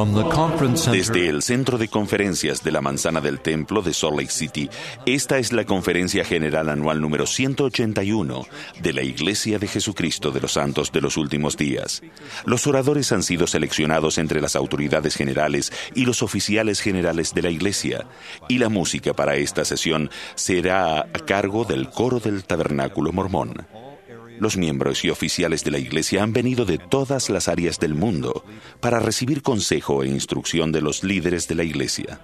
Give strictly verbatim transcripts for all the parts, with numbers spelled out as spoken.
From the conference center. Desde el Centro de Conferencias de la Manzana del Templo de Salt Lake City, esta es la Conferencia General Anual número ciento ochenta y uno de la Iglesia de Jesucristo de los Santos de los Últimos Días. Los oradores han sido seleccionados entre las autoridades generales y los oficiales generales de la Iglesia, y la música para esta sesión será a cargo del coro del Tabernáculo Mormón. Los miembros y oficiales de la Iglesia han venido de todas las áreas del mundo para recibir consejo e instrucción de los líderes de la Iglesia.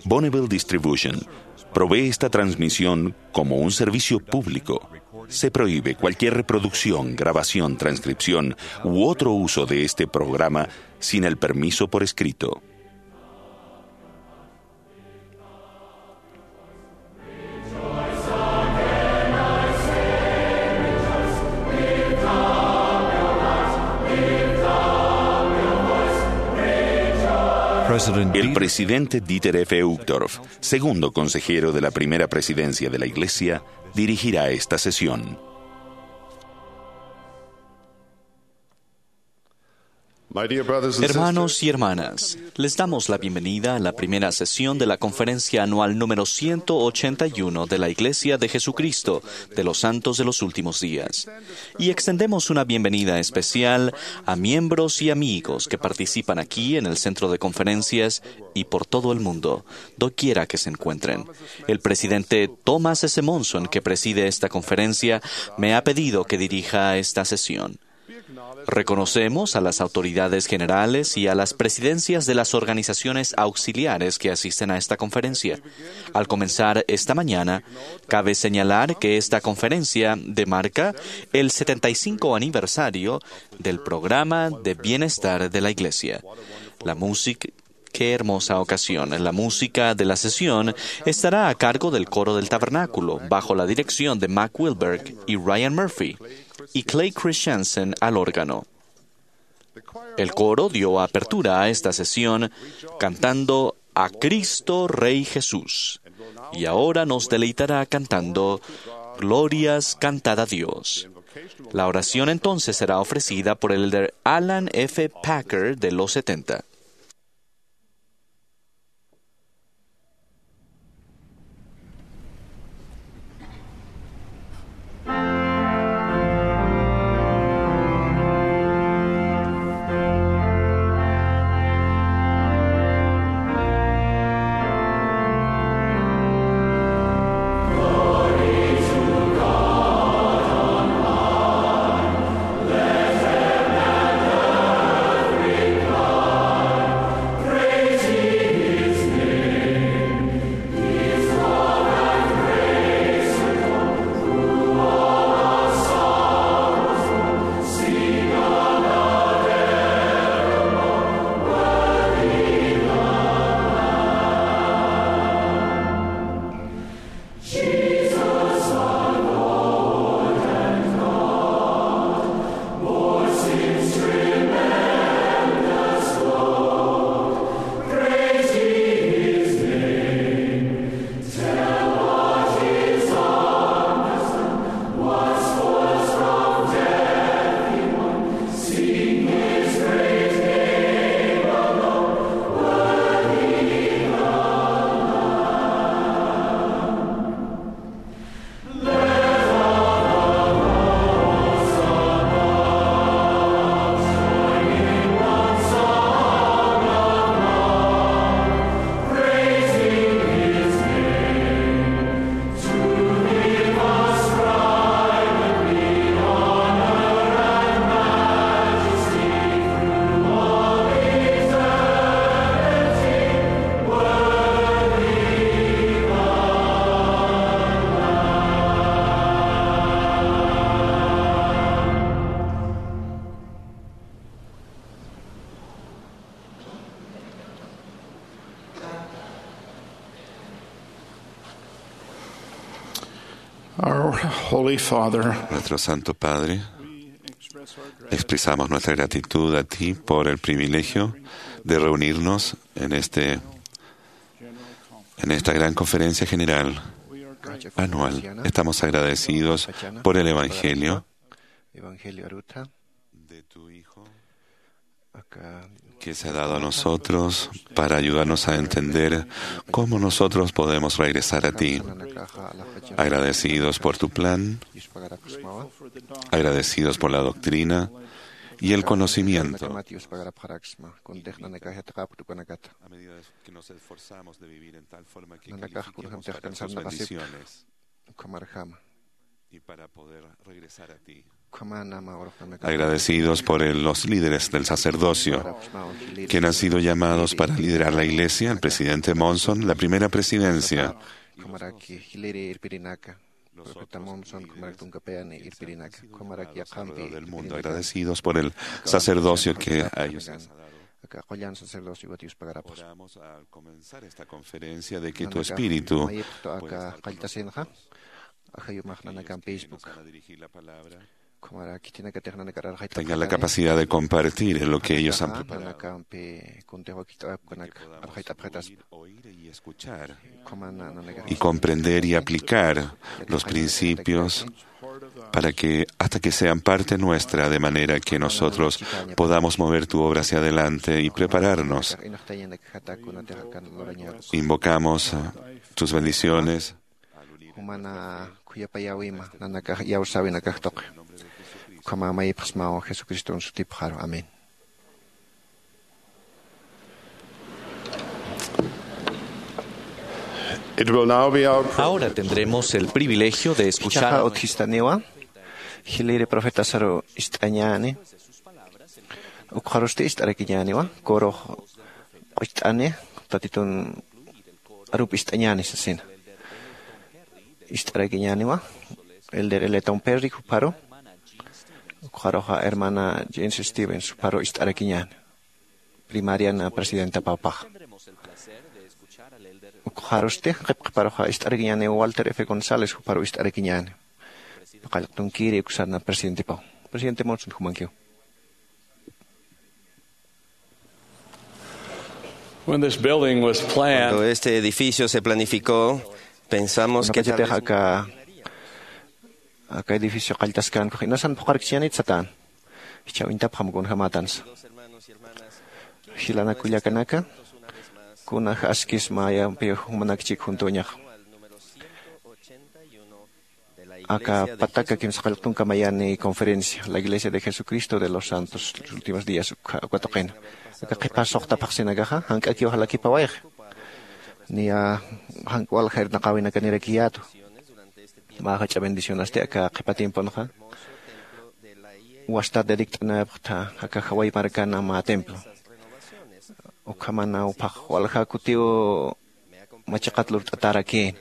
Bonneville Distribution provee esta transmisión como un servicio público. Se prohíbe cualquier reproducción, grabación, transcripción u otro uso de este programa sin el permiso por escrito. President El Dieter presidente Dieter F. Uchtdorf, segundo consejero de la primera presidencia de la Iglesia, dirigirá esta sesión. My dear brothers and sisters, hermanos y hermanas, les damos la bienvenida a la primera sesión de la conferencia anual número ciento ochenta y uno de la Iglesia de Jesucristo de los Santos de los Últimos Días. Y extendemos una bienvenida especial a miembros y amigos que participan aquí en el centro de conferencias y por todo el mundo, doquiera que se encuentren. El presidente Thomas S. Monson, que preside esta conferencia, me ha pedido que dirija esta sesión. Reconocemos a las autoridades generales y a las presidencias de las organizaciones auxiliares que asisten a esta conferencia. Al comenzar esta mañana, cabe señalar que esta conferencia demarca el setenta y cinco aniversario del programa de bienestar de la Iglesia. La música Qué hermosa ocasión. La música de la sesión estará a cargo del coro del tabernáculo, bajo la dirección de Mac Wilberg y Ryan Murphy, y Clay Christensen al órgano. El coro dio apertura a esta sesión cantando A Cristo Rey Jesús, y ahora nos deleitará cantando Glorias, cantad a Dios. La oración entonces será ofrecida por el elder Alan F. Packer de los setenta. Our Holy Father, Nuestro Santo Padre, expresamos nuestra gratitud a ti por el privilegio de reunirnos en este, en esta gran conferencia general anual. Estamos agradecidos por el Evangelio de tu Hijo, que se ha dado a nosotros para ayudarnos a entender cómo nosotros podemos regresar a ti. Agradecidos por tu plan, agradecidos por la doctrina y el conocimiento. A medida que nos esforzamos de vivir en tal forma que califiquemos para tus bendiciones y para poder regresar a ti. Agradecidos por el- los líderes del sacerdocio, quien han sido llamados para liderar la iglesia, el presidente Monson, la primera presidencia, alrededor del mundo, agradecidos por el sacerdocio que a ellos les ha dado. Oramos al comenzar esta conferencia de que tu espíritu pueda estar con nosotros. Ayudarnos a dirigir la palabra, tengan la capacidad de compartir lo que ellos han preparado, que podamos oír, oír y escuchar y comprender y aplicar los principios para que hasta que sean parte nuestra, de manera que nosotros podamos mover tu obra hacia adelante y prepararnos. Invocamos tus bendiciones. Jumana khuyapayäwima nanakax iyawsäwinakax tuqi. Ukhama mayipxsmaw Jesucriston sutipxaru. Amén. It will now be our privilege. Ahora tendremos el privilegio de escuchar a utjistaniwa jiliri profetasaru ist'añäni. Ukxarusti ist'arakiñäniwa, korox q'ucht'ani tatitun arupi ist'añäni sasina. Ist'arakiñäniwa elder eleton perri jupharu, ukxaruxa hermana james stevens jupharu ist'arakiñäni. Primariana presidenta pawpaxa. Ukxarusti qipqipharuxa ist'arakiñäniwa walter f gonzález jupharu ist'arakiñäni. Paqallqtunkiri uksana presidentipaw. Presidente monson jumankiw. When this building was planned, Cuando este edificio se planificó, pensamos que tal vez aka aka edificio qalltaskän kuxi nasan phuqarkchiñanit satän. Jichhaw intapxam kunjamatansa. Jilanakullakanaka, kunax askis mayampi jumanakchik juntuñax. Aka pataka kimsa qallqtunkamayani conferencia la iglesia de jesucristo de los santos los últimos días. Uka tuqina aka qhipas suxtapxsinakaxa jank'akiw jalakipawayxi. Niya jank'wal jayrnaqawinakanirakiyätu. Mä jach'a bendicionasti aka qhipa tiemponxa wasta dirikt'anayapxta aka jaway markana mä templo. Ukhamana uphax walja kutiw machiqat lurt'atarakïn.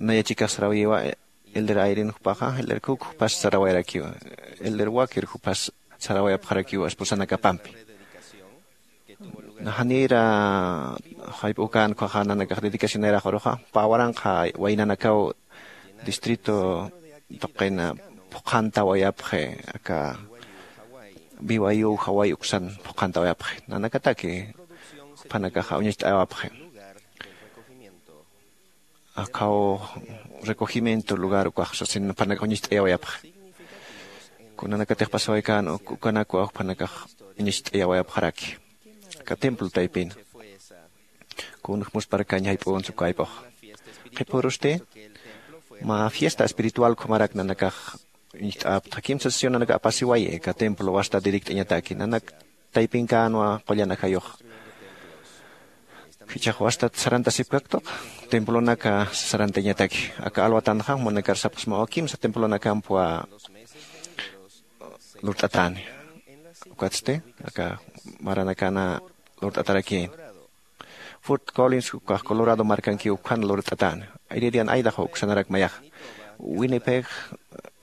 Naya chikax sarawiwa elder ayrin jupaxa elder kuk jupas sarawayarakiwa. Elder wakir jupas sarawayapxarakiwa esposanakapampi. Naxanïra jayp'ukän ukhaxa nanakax dedicacionayrax uruxa pä waranqa waynanakaw distrito tuqina phuqhantawayapxi aka biwayu jaway uksan phuqhantawayapxi nanakataki juphanakaxa uñacht'ayawapxi. Akhaw recogimiento lugar ukax sasin juphanakax uñacht'ayawayapxi. Kunanakatix pasawaykan ukanakwa juphanakax uñacht'ayawayapxaraki aka templo taypina. Kunjmusparkañ jayp'uwans ukayp'ux qhipürusti mä fiesta espiritual ukhamarak nanakax uñacht'apxta kimsa sesionanaka apasiwayi aka templo wasta dirikt'añataki nanak taypinkänwa qullan ajayux. Jichhax wastat sarantasipkaktuq templonaka sarantañataki aka alwatanxa jumanakar sapxsmawa kimsa templonakampwa lurt'atäni. Ukatsti aka maranakana lurt'atarakïn. Fort collins ukax colorado markankiw ukhan lurt'atäni. Iririan aydaxwa uksanarak mayaxa winnipeg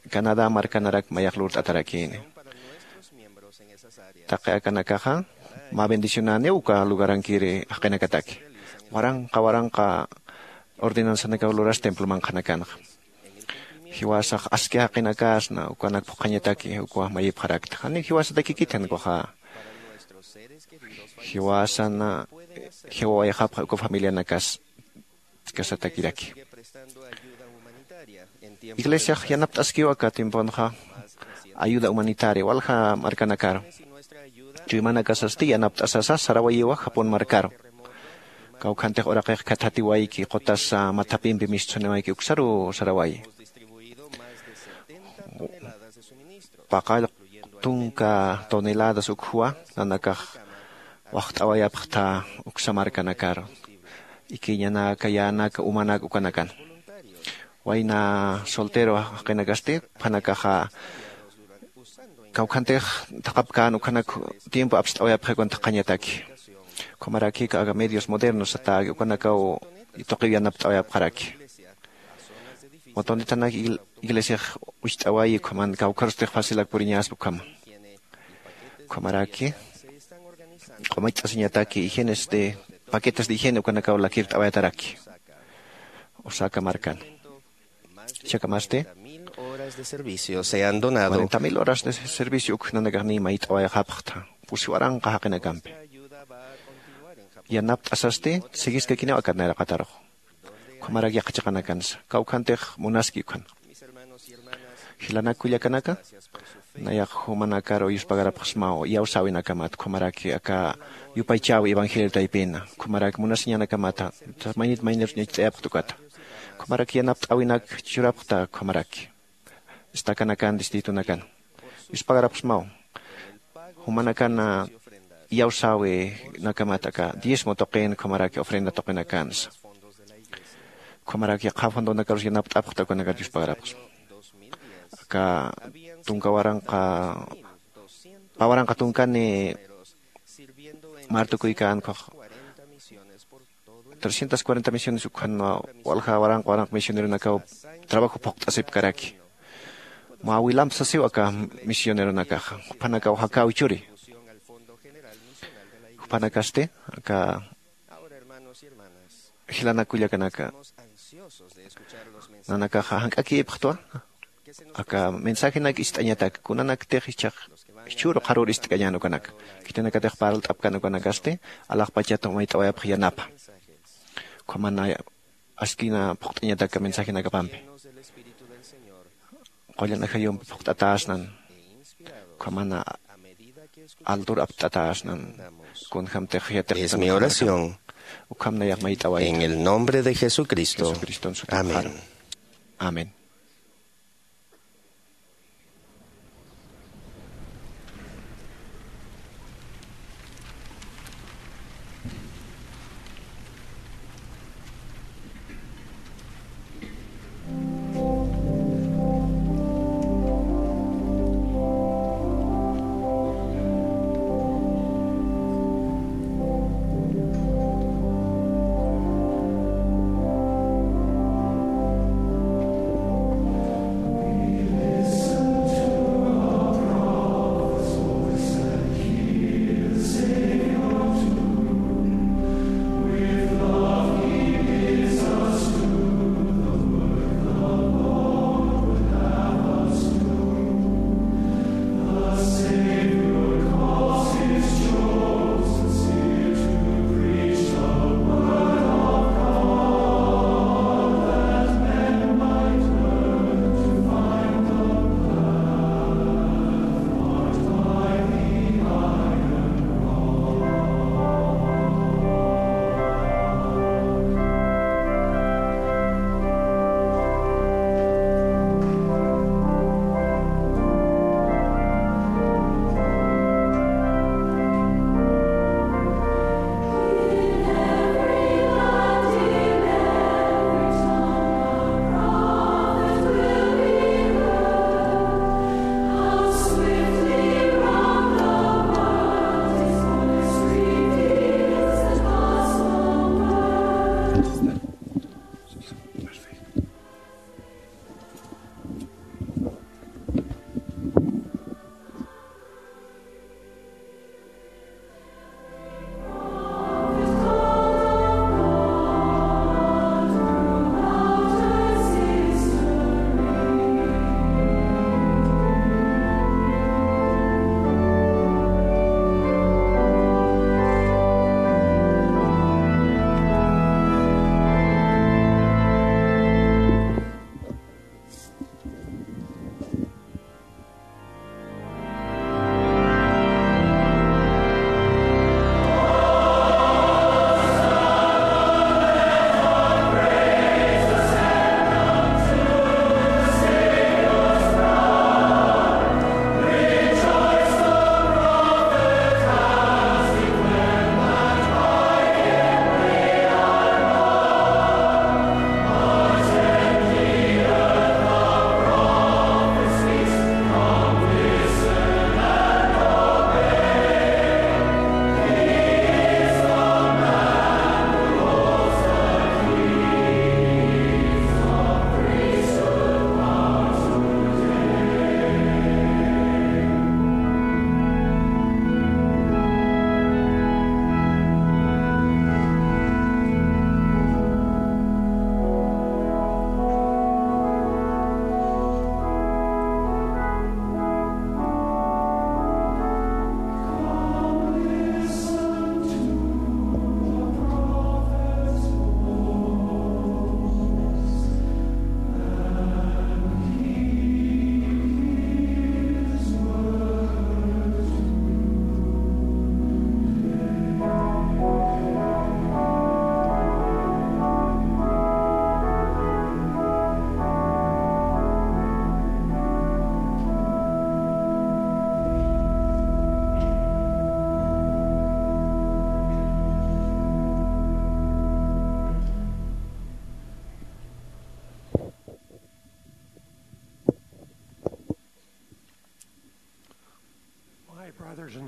canadá markanarak mayax lurt'atarakïni. Taqi akanakaxa mä bendicionäniw uka lugarankiri jaqinakataki waranqa waranqa ordenanzanakaw luras temploman qhanakanxa. Jiwasax aski jaqinakasna ukanak phuqhañataki ukawax mayipxarakta janiw jiwasatakikit jan ukaxa. Jiwasana jiwawayxapxa uka familianakas kasatakiraki. Iglesiax yanapt'askiw aka tiemponxa ayuda humanitaria walja markanakaru. chuymanakasasti yanapt'asasa sarawayiwa Japón markaru. Kawkhantix uraqix khathatiwayki qutasa mathapimpi mistsuniwayki uksaru sarawayi. Paqall tunka toneladas ukhuwa nanakax waxt'awayapxta uksa markanakaru. Ikiñanaka, yänaka, umanaka ukanakan. Wayna soltero jaqinakasti, juphanakaxa kawkhantix thaqhapkän ukhanak tiempo apst'awayapxi ukan thaqhañataki. Ukhamaraki aka medios modernos satäki, ukanakaw tuqiw yanapt'awayapxaraki. Motonitanak igl-, iglesiax ucht'awayi, ukhaman kawkharustix facilak puriñäspa ukhama. Ukhamaraki q'umacht'asiñataki higienes de, paquetes de higiene ukanakaw lakirt'awayataraki Osaka markan. Jichhakhamasti cuarenta mil horas de servicio se han donado. Cuarenta mil horas de servicio uk nanakax niy mayt'awayxapxta, pusi waranqa jaqinakampi. Yanapt'asasti siguiskakiniw akat nayraqatarux. Ukhamarak yaqha chiqanakansa kawkhantix munaski ukhan. Jilanak kullakanaka, nayax jumanakaru yuspagarapxsmaw iyawsäwinakamat, ukhamaraki aka yupaychäwi evangelio taypina, ukhamaraki munasiñanakamata maynit maynirus ñach't'ayapxta ukata. Ukhamaraki yanapt'äwinak churapxta ukhamaraki. Estakanakan, distritonakan. Yuspagarapxsmaw. Jumanakan iyawsäwinakamat aka diezmo tuqin, ukhamaraki ofrenda tuqinakansa. Ukhamaraki yaqha fondonakarus yanapt'apxta ukanakat yuspagarapxsma. Aka tunka waranqa, pä waranqa tunkani martukuykän ukhax trescientas cuarenta misiones ukhan walja waranqa waranqa misioneronakaw trabajo phuqt'asipkaraki. Mä wilamp sasiw aka misioneronakaxa, juphanakaw jakäwi churi. Juphanakasti aka jilanak kullakanaka, nanakaxa jank'akïpxtwa aka mensajenak ist'añatak, kunanaktix jichhax jichhüru qharür ist'kañän ukanak. Khitinakatix parlt'apkän ukanakasti alaxpachat mayt'awayapxi yanapä. Ukhamana askina phuqt'añatak aka mensajenakapampi. Qullan ajayumpi phuqt'atäsnan, ukhamana altur apt'atäsnan, kunjamtix yatiqtan. Es mi oración. Ukham nayax mayt'awayta. En el nombre de Jesucristo. Jesucriston sutipxaru. Amén. Amén.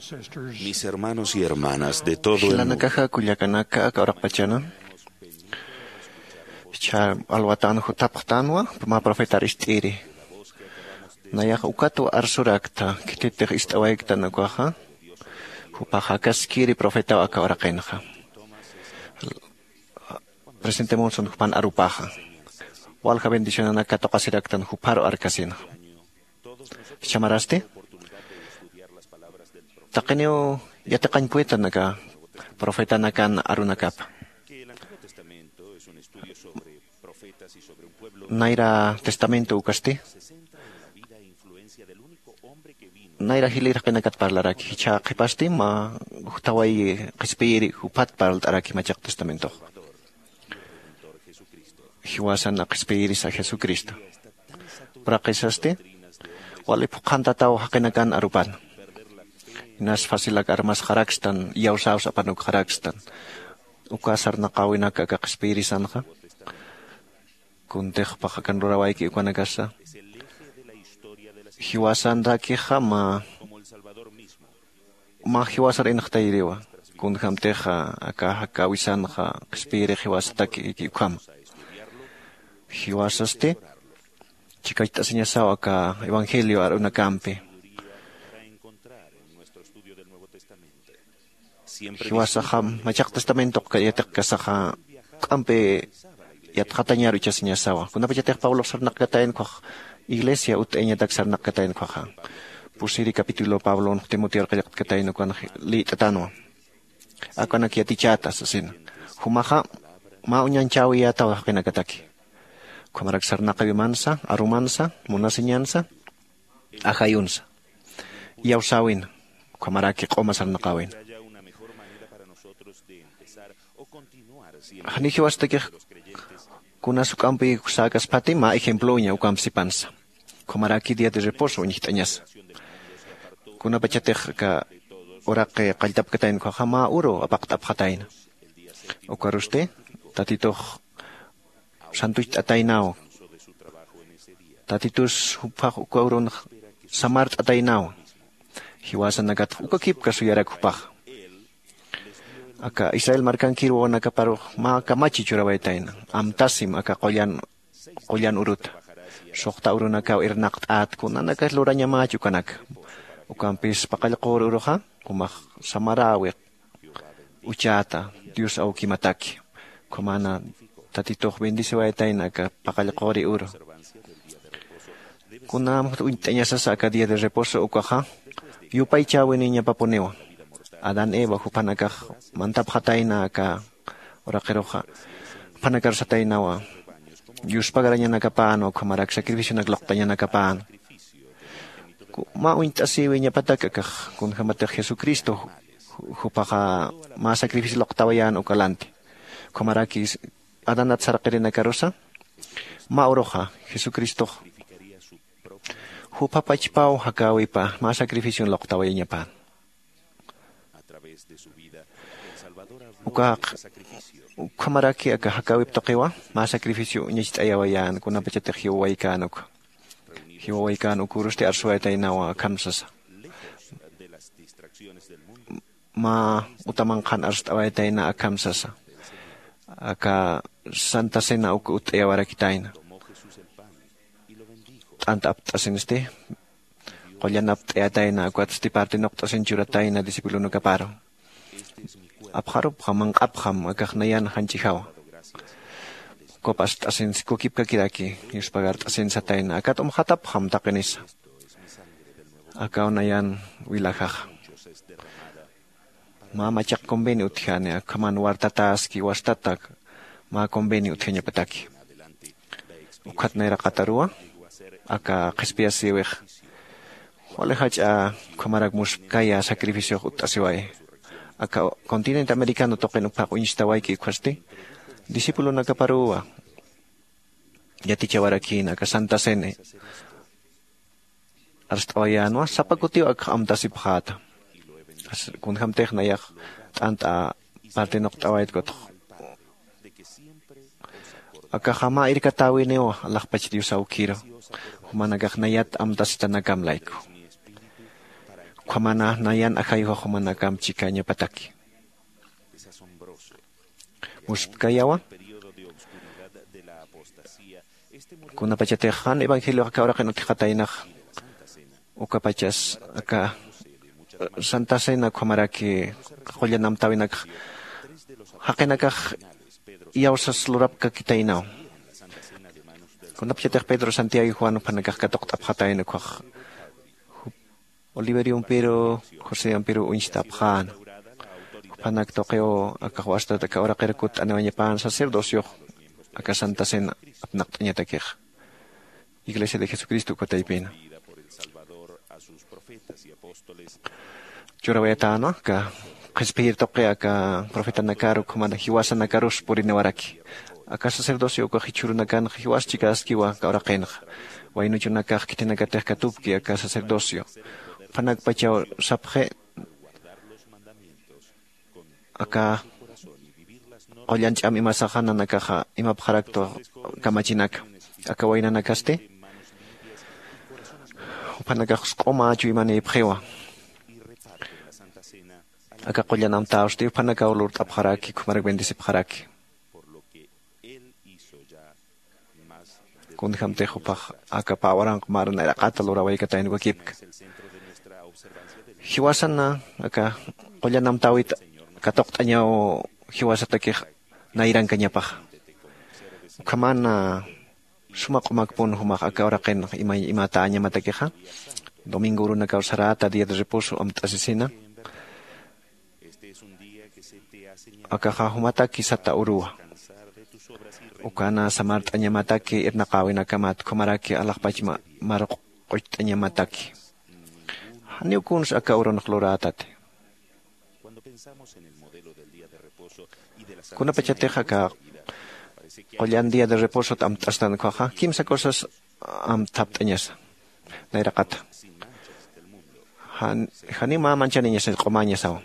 Mis hermanos y hermanas de todo el mundo. Jilanakaxa kullakanaka aka uraqpachana. Cha alwatan jutapxtanwa mä profetar ist'iri. Nayax ukatwa arsurakta khititix ist'awayktan ukaxa. Jupaxa akaskiri profetaw aka uraqinxa. Presidente Monson jupan arupaxa. Walja bendicionanak katuqasiraktan juparu arkasinxa. Chamarasti taqiniw yatiqañpuwitanaka profetanakan arunakapa. Nayra testamento ukasti nayra jilïr jaqinakat parlaraki jichha qhipasti mä jutaway qhispiyiri juphat parlt'araki machaq testamentox. Jiwasan qhispiyirisa jesucristo. Uraqisasti wali phuqhantataw jaqinakan arupan. Inas facilak armasxarakstan iyawsäws apanukxarakstan. Uka sarnaqäwinak aka qhispiyirisanxa kuntixpax akan rurawayki ukanakasa. Jiwasanrakixa mä mä jiwasar inxtayiriwa. Kunjämtixa aka jakäwisanxa qhispiyirix jiwasataki ukhama. Jiwasasti chikacht'asiñasaw aka evangelio arunakampi. Jiwasaxa machaq testamentoq yatiqkasaxa k'ampi yatxatañar uchasiñasawa kunapachatix pablox sarnaqkatayn ukkhax iglesia utt'ayañatak sarnaqkatayn ukkhaxa. Pusiri capítulo pablon timoteor qillqtkatayn ukan lït'atanwa. Akanak yatichäta sasina jumaxa mä uñanchäwiyätaw jaqinakataki. Ukhamarak sarnaqiwimansa arumansa munasiñansa ajayunsa iyawsäwina ukhamaraki q'uma sarnaqäwina. Janiw jiwastakix kunas juk'ampi säkaspati mä ejemploña ukamp sipansa. Ukhamaraki día de reposo uñjt'añasa kunapachatix aka uraqi qalltapkatayna ukhaxa mä uru apaqt'apxatayna. Ukarusti tatitux santucht'ataynaw. Tatitus juphax uka urunx samart'ataynaw. Jiwasanakatx ukakipka suyarak jupaxa aka israel markankir wawanakaparux mä kamachi churawaytayna amtasim aka qullan qullan uruta. Suxta urunakaw irnaqt'ät kunanakas lurañamäch ukanaka. Ukampis paqallqür uruxa jumax samaräwi uchäta dios awkimataki. Ukhamana tatitux bendeciwaytayna aka paqallqüri uru. Kunam uñt'añasasa aka día de reposo ukaxa yupaychäwiniñapapuniwa. Adán eva juphanakax mantapxatayna aka uraqiruxa juphanakar sataynawa. Yuspagarañanakapänwa ukhamarak sacrificionak luqtañanakapänwa. Mä uñt'asïwiñapatak akax kunjämatix jesucristo juphaxa mä sacrificio luqtawayän uka lanti. Ukhamaraki adanat sarqirinakarusa mä uruxa jesucristox jupha pachpaw jakäwipa mä sacrificion luqtawayañapän. Uka ukhamaraki aka jakäwip tuqiwa mä sacrificio uñacht'ayawayän kunapachatix jiwawaykänuka. Jiwawaykänukurusti arsuwaytaynawa akham sasa. Mä utamanqhan arst'awaytayna akham sasa. Aka santa cena uk utt'ayawarakitayna t'anta apt'asinsti qullan apt'ayatayna ukatsti parti nuqt'asin churatayna discipulonakaparu. Apxarupxam manq'apxam akax nayan janch'ijawa. Copas t'asinsi kukipkakiraki yuspagar t'asin satayna akat umxatapxam taqinisa. Akaw nayan wilajaxa mä machaq convenio utjani akhaman wartataski wastatak mä convenio utjañapataki. Ukhat nayraqataruwa aka qhispiyasïwix wali jach'a ukhamarak muspkaya sacrificiox utt'asiway. Aka continente americano tuqin uphaq uñstawayki ukhasti discipulonakaparuwa yatichawarakïna aka santa cene arst'awayänwa sapa kutiw akx amtasipxäta. Kunjämtix nayax t'ant'a parti nuqt'awaytkutx akaxa mä irkatäwiniw alaxpach dios awkiru jumanakax nayat amtasitanakam layku. Ukhamana nayan ajayuxa jumanakamp chikañapataki. Muspkayawa. Kunapachatix jan evangeliox aka uraqin utjxataynax, ukapachas aka santa cena ukhamaraki qullan amtäwinakxa jaqinakax iyawsas lurapkakitaynaw. Kunapachatix Pedro, Santiago y Juan juphanakax katuqt'apxatayna ukhax, Oliverio Ampiru, José Ampiru uñstapxäna. Juphanak tuqiw akax wastat aka uraqir kutt'aniwañapäna sacerdocio aka santa cena apnaqt'añatakixa. Iglesia de Jesucristo ukataypina churawayatäna aka qhispiyir tuqi aka profetanakaru ukhamana jiwasanakarus puriniwaraki. Aka sacerdocio ukax jichhürunakanxa jiwas chikaskiwa aka uraqinxa. Waynuchunakax khitinakatix katupki aka sacerdocio. Juphanakpachaw sapxi aka qullan ch'am imasaxa nanakaxa imapxaraktu kamachinaka aka waynanakasti. Juphanakax q'uma chuymanïpxiwa aka qullan amtäwsti juphanakaw lurt'apxaraki ukhamarak bendecipxaraki. Kunjämtix jupax aka pä waranq mar nayraqata lurawaykatayn wakipka. Jiwasana aka qullan amtäwit katuqt'añaw jiwasatakix nayrankañapaxa. Ukhamana suma q'umakpun jumax aka uraqin imatäñamatakixa. Domingo urunakaw saräta día de reposo amt'asisina. Akaxa jumataki sata uruwa. Ukana samart'añamataki irnaqäwinakamat ukhamaraki alaxpach mar q'ucht'añamataki. Janiw kuns aka urunx lurätati. Kunapachatix aka qullan día de reposot amt'astan ukhaxa kimsa cosas amthapt'añasa. Nayraqata janiw mä manchaniñasa q'umäñasawa.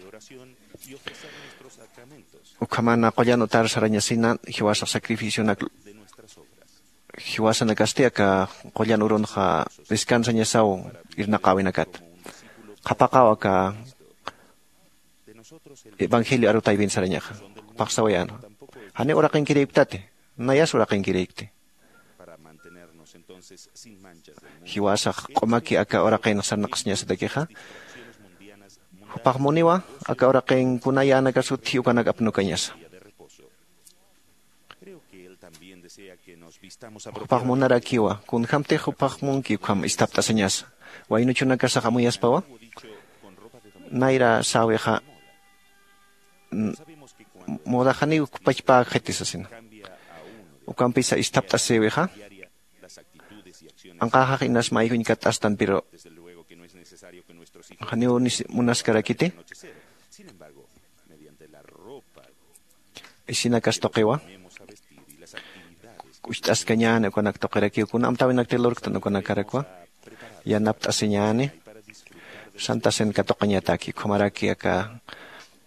Ukhamana qullan utar sarañasina jiwasax sacrificionak jiwasanakasti aka qullan urunxa descansañasaw irnaqäwinakat. Qhapaqaw aka evangelio arutaypin sarañaxa. Jupax sawayänwa, janiw uraqinkirïpktati, nayas uraqinkirïkti. Jiwasax q'umaki aka uraqin sarnaqasiñasatakixa jupax muniwa aka uraqin kunayänakasutji ukanak apnukañasa. Jupax munarakiwa kunjämtix jupax munki ukham isthapt'asiñasa. Waynuchunakasax amuyaspawa nayra säwixa mudaxaniw ukpachpäkxiti sasina. Ukampisa isthapt'asïwixa anqäxax inas mayjuñ katt'astan pero janiw munaskarakiti. Isinakas tuqiwa k'ucht'askañäni ukanak tuqirakiw kuna amtäwinakti lurktan ukanakarakwa yanapt'asiñäni. Santa cena katuqañataki ukhamaraki aka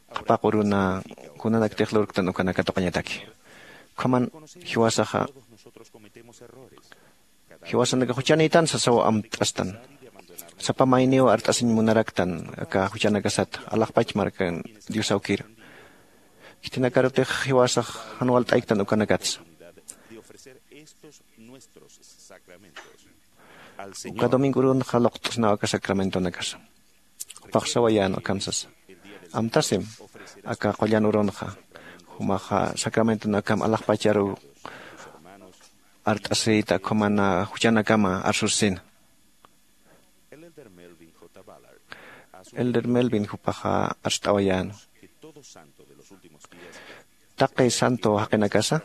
qhapaq uruna kunanaktix lurktan ukanak katuqañataki. Ukhaman jiwasaxa jiwasanakax juchanïtan sasaw amt'astan. Sapa mayniw art'asiñ munaraktan aka juchanakasata alaxpach markan diosawkiru. Khitinakarutix jiwasax jan walt'ayktan ukanakatsa. Uka domingo urunxa luqt'snaw aka sacramentonakasa. Jupax sawayän ukham sasa, amtasim aka qullan urunxa jumaxa sacramentonakam alaxpacharuw art'asïta ukhamana juchanakama arsusisina. Elder Melvin jupaxa arst'awayänwa taqi santo jaqinakasa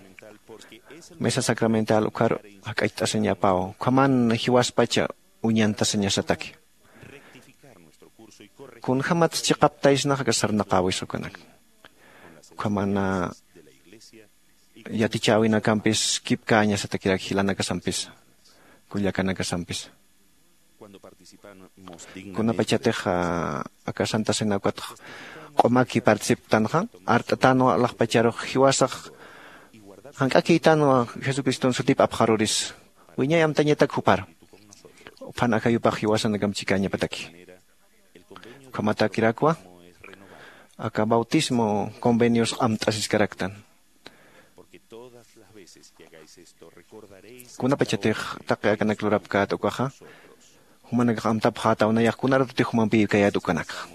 mesa sacramental ukhar jak'acht'asiñapaw ukhaman jiwaspacha uñantasiñasataki. Kunjämat chiqaptaysnax aka sarnaqäwisa ukanak ukhamana yatichäwinakampis kipkäñasatakirak jilanakasampisa kullakanakasampisa. Kunapachatix aka santa cena ukatx q'umaki participktanxa art'atänwa alaxpacharux jiwasax jank'akïtänwa jesucriston sutip apxarurisa wiñay amtañatak jupar. Uphan ajayupax jiwasanakamp chikäñapataki. Ukhamatäkirakwa aka bautismo convenios amt'asiskaraktan. Kunapachatix taqi akanak lurapkät ukaxa, jumanakax amtapxätaw nayax kuna ratutix jumampïkayät ukanakxa.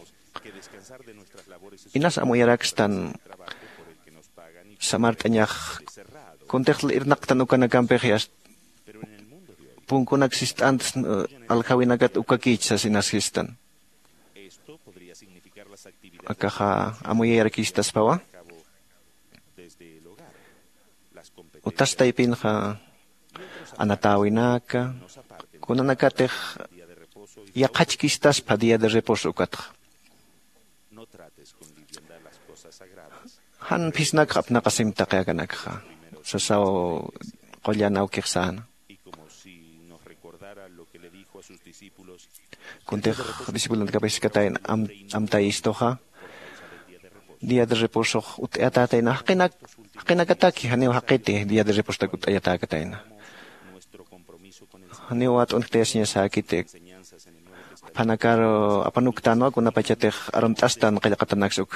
Inas amuyarakstan samart'añax kuntix irnaqtan ukanakampix yast punkunak sist'ant aljawinakat ukakïch sas inas sistan. Akaxa amuyayarakistaspawa. Utas taypinxa anatäwinaka kunanakatix yaqhachkistaspa día de reposo ukatxa. Jan phisnakx apnaqasim taqi akanakxa sasaw qullan awkix säna. Kuntix discipulonakapis jiskatayna amtayistuxa día de reposox utt'ayatätayna jaqinakataki janiw jaqiti día de repostak utt'ayatäkatayna. Janiw wat'unktayasiñasäkiti juphanakar apanuktänwa kunapachatix armt'astan qillqatanaksa uk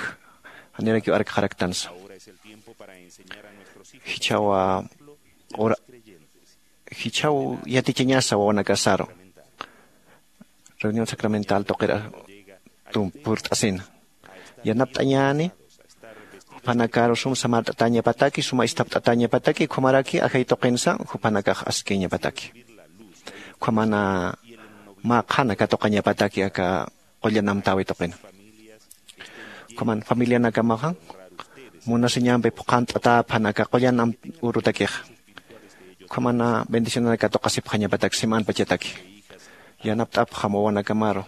janirakiw arkxaraktansa. Jichhawa ora jichhaw yatichañasa wawanakasaru reunión sacramental tuqir purt'asina yanapt'añäni. Juphanakaru sum samart'atäñapataki suma isthapt'atäñapataki ukhamaraki ajay tuqinsa juphanakax askïñapataki. Ukhamana mä qhana katuqañapataki aka qullan amtäwi tuqina. Ukhaman familianakamaxa munasiñampi phuqhant'atäpxan aka qullan urutakixa. Ukhamana bendicionanak katuqasipxañapatak simanpachataki yanapt'apxam wawanakamaru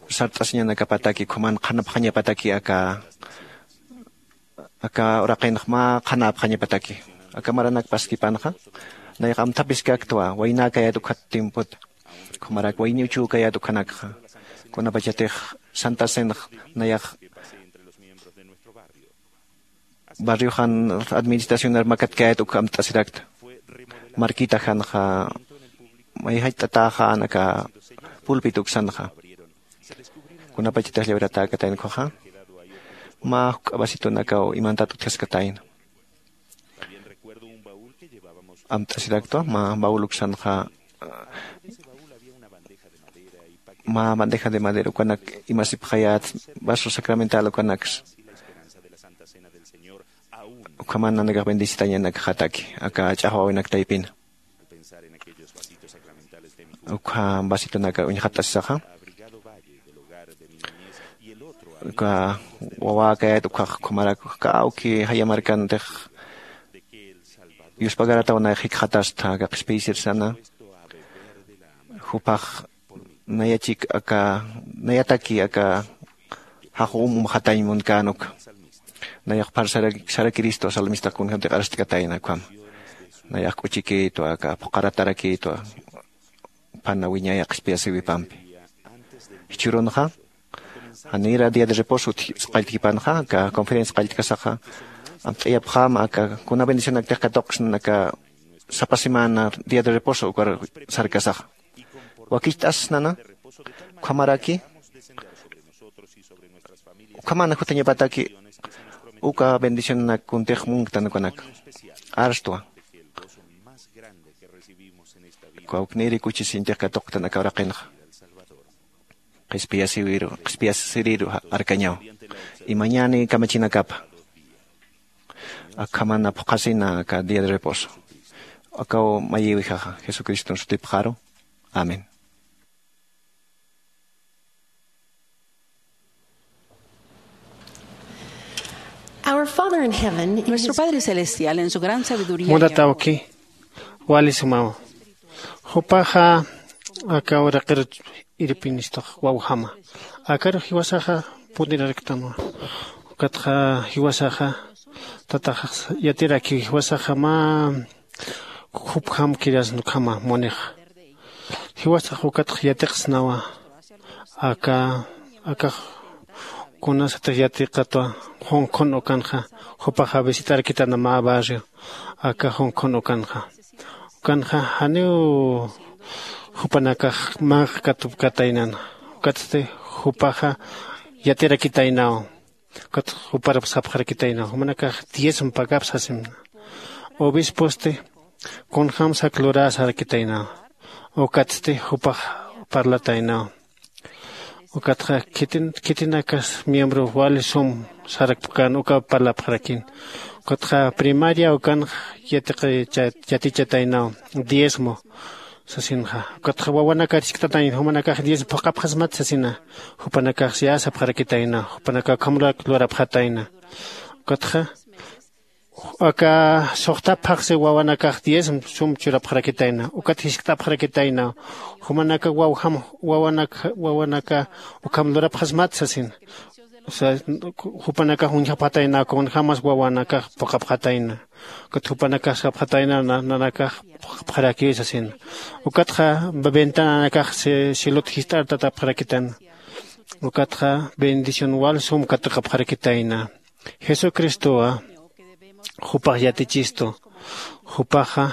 sart'asiñanakapataki ukhaman qhanapxañapataki aka aka uraqinx mä qhanäpxañapataki. Aka maranak paskipanxa nayax amthapiskaktwa waynäkayät ukhat tiempota. Ukhamarak wayniw chükayät ukhanakxa kunapachatix santa cenx nayax barrioxan administracionar makatkayät uk amt'asirakta. Marquita janxa mayjach'tatäxän aka pulpit uksanxa kunapachatix llawiratäkatayna ukhaxa mä juk'a vasitonakaw imantat utjaskatayna. Amt'asiraktwa mä baul uksanxa mä bandeja de madera ukanak imasipxayät vaso sacramental ukanaksa. Ukhaman nanakax bendecitañanakxataki aka ch'axwäwinak taypina. Ukha vasitonaka uñjat'asisaxa uka wawäkayät ukhax ukhamarak kawki jaya markantix yuspagaratawnayax jikxatasta aka qhispiyisirsana. Jupax nayachik aka nayataki aka jaxum umxatañ munkän uka nayax pharsarakiristwa salmistax kunjantix arst'katayna ukhama. Nayax k'uchikïtwa aka phuqharatarakïtwa pana wiñaya qhispiyasiwipampi. Jichhürunxa janira día de reposo qalltkipanxa aka conferencia qalltkasaxa amt'ayapxäma aka kuna bendicionaktix katuqsna aka sapa semana día de reposo ukar sarkasaxa wakicht'asnana ukhamaraki ukhamana jutañapataki uka bendicionanak kuntix munktan ukanaka arstwa. Kawknïri kuchisiñtix katuqtan aka uraqinxa qhispiyasiriru qhispiyasiriru arkañaw imañäni kamachinakapa akhamana phuqhasina aka día de reposo. Akaw mayïwijaxa jesucriston sutipxaru. Amén. Our Father in heaven, in Nuestro his Padre Celestial, en su gran sabiduría, munatawki wali sumawa jupaxa aka uraqir irpinistax wawjama. Akaru jiwasaxa punirarktanwa ukatxa jiwasaxa tataxax yatirakiw jiwasaxa mä jupjamkirasna ukhama munixa. Jiwasax ukatx yatiqsnawa aka akax kunasatix yatiqatwa. Junkhun ukanxa jupaxa visit'arkitana mä barrio aka junkhun ukanxa ukanxa janiw Jupanakax mä katupkataynana. Ukatsti jupaxa yatirakitaynaw. Ukat juparap sapxarakitaynaw jumanakax diezmo pagap sasimna. Obisposti kunjämsak lurä sarakitaynaw. Ukatsti jupax parlataynaw. Ukatxa khitin khitinakas miembro wali sum sarakpkän uka parlapxarakin. Ukatxa primaria ukanx yatiqichat yatichataynaw diezmo sasinxa. Ukatxa wawanakar jiskt'atayna jumanakax diezmo phuqhapxasmat sasina. Jupanakax siyasapxarakitayna. Jupanakax ukhamrak lurapxatayna. Ukatxa aka suxtap phaxsi wawanakax diezmo sum churapxarakitayna. Ukat jiskt'apxarakitayna jumanaka wawjam wawanaka wawanaka ukham lurapxasmat sasina. Jupanakax uñjapxatayna kunjämas wawanakax phuqhapxatayna. Ukat jupanakax sapxatayna nanakax phuqhapxarakiw sasina. Ukatxa ventananakax cielot jist'artatapxarakitayna. Ukatxa bendición wal sum katuqapxarakitayna. Jesucristowa jupax yatichistu. Jupaxa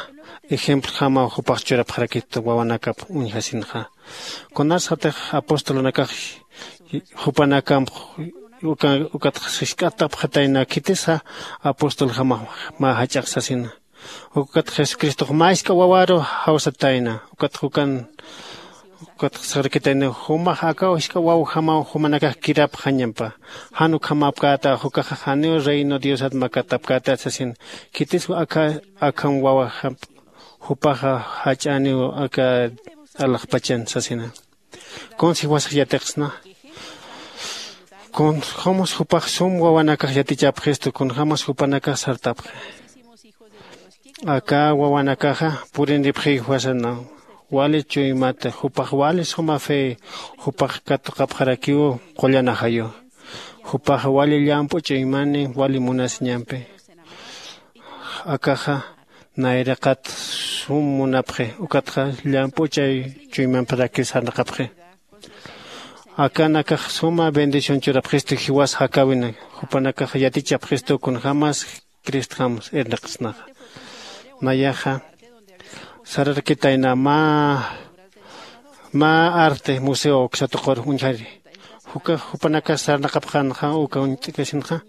ejemplojamaw jupax churapxarakistu wawanakap uñjasinxa. Kunasatix apostolunakax jupanakamp ukatx jisk'atapxatayna khitisa apostoljamax mä jach'ax sasina. Ukat jesucristox mä jisk'a wawaru jawsatayna. Ukatx ukan ukatx sarakitayna jumax akaw jisk'a wawjamaw jumanakax kirapxañampa. Jan ukhamapkäta jukaxa janiw reino diosat makatapkäta sasin. Khitis aka akham wawajamp jupaxa jach'aniw aka alaxpachan sasina. Kunsi jiwasax yatiqsna kunjämas jupax sum wawanakax yatichapxistu kunjämas jupanakax sartapxi. Aka wawanakaxa purinipxiw jiwasanaw. Wali chuymata jupax wali suma fe jupax katuqapxarakiw. Qullan ajayu jupax wali llamp'u chuymani wali munasiñampi. Akaxa nayraqat sum munapxi. Ukatxa llamp'u chay chuymamparaki sarnaqapxi. Akanakax suma bendición churapxistu jiwas jakäwina. Jupanakax yatichapxistu kunjämas cristjams irnaqsnaxa. Nayaxa sararakitayna mä mä arte museo uksatuqur uñjari. Jukax jupanakax sarnaqapxänxa uka uñt'kasinxa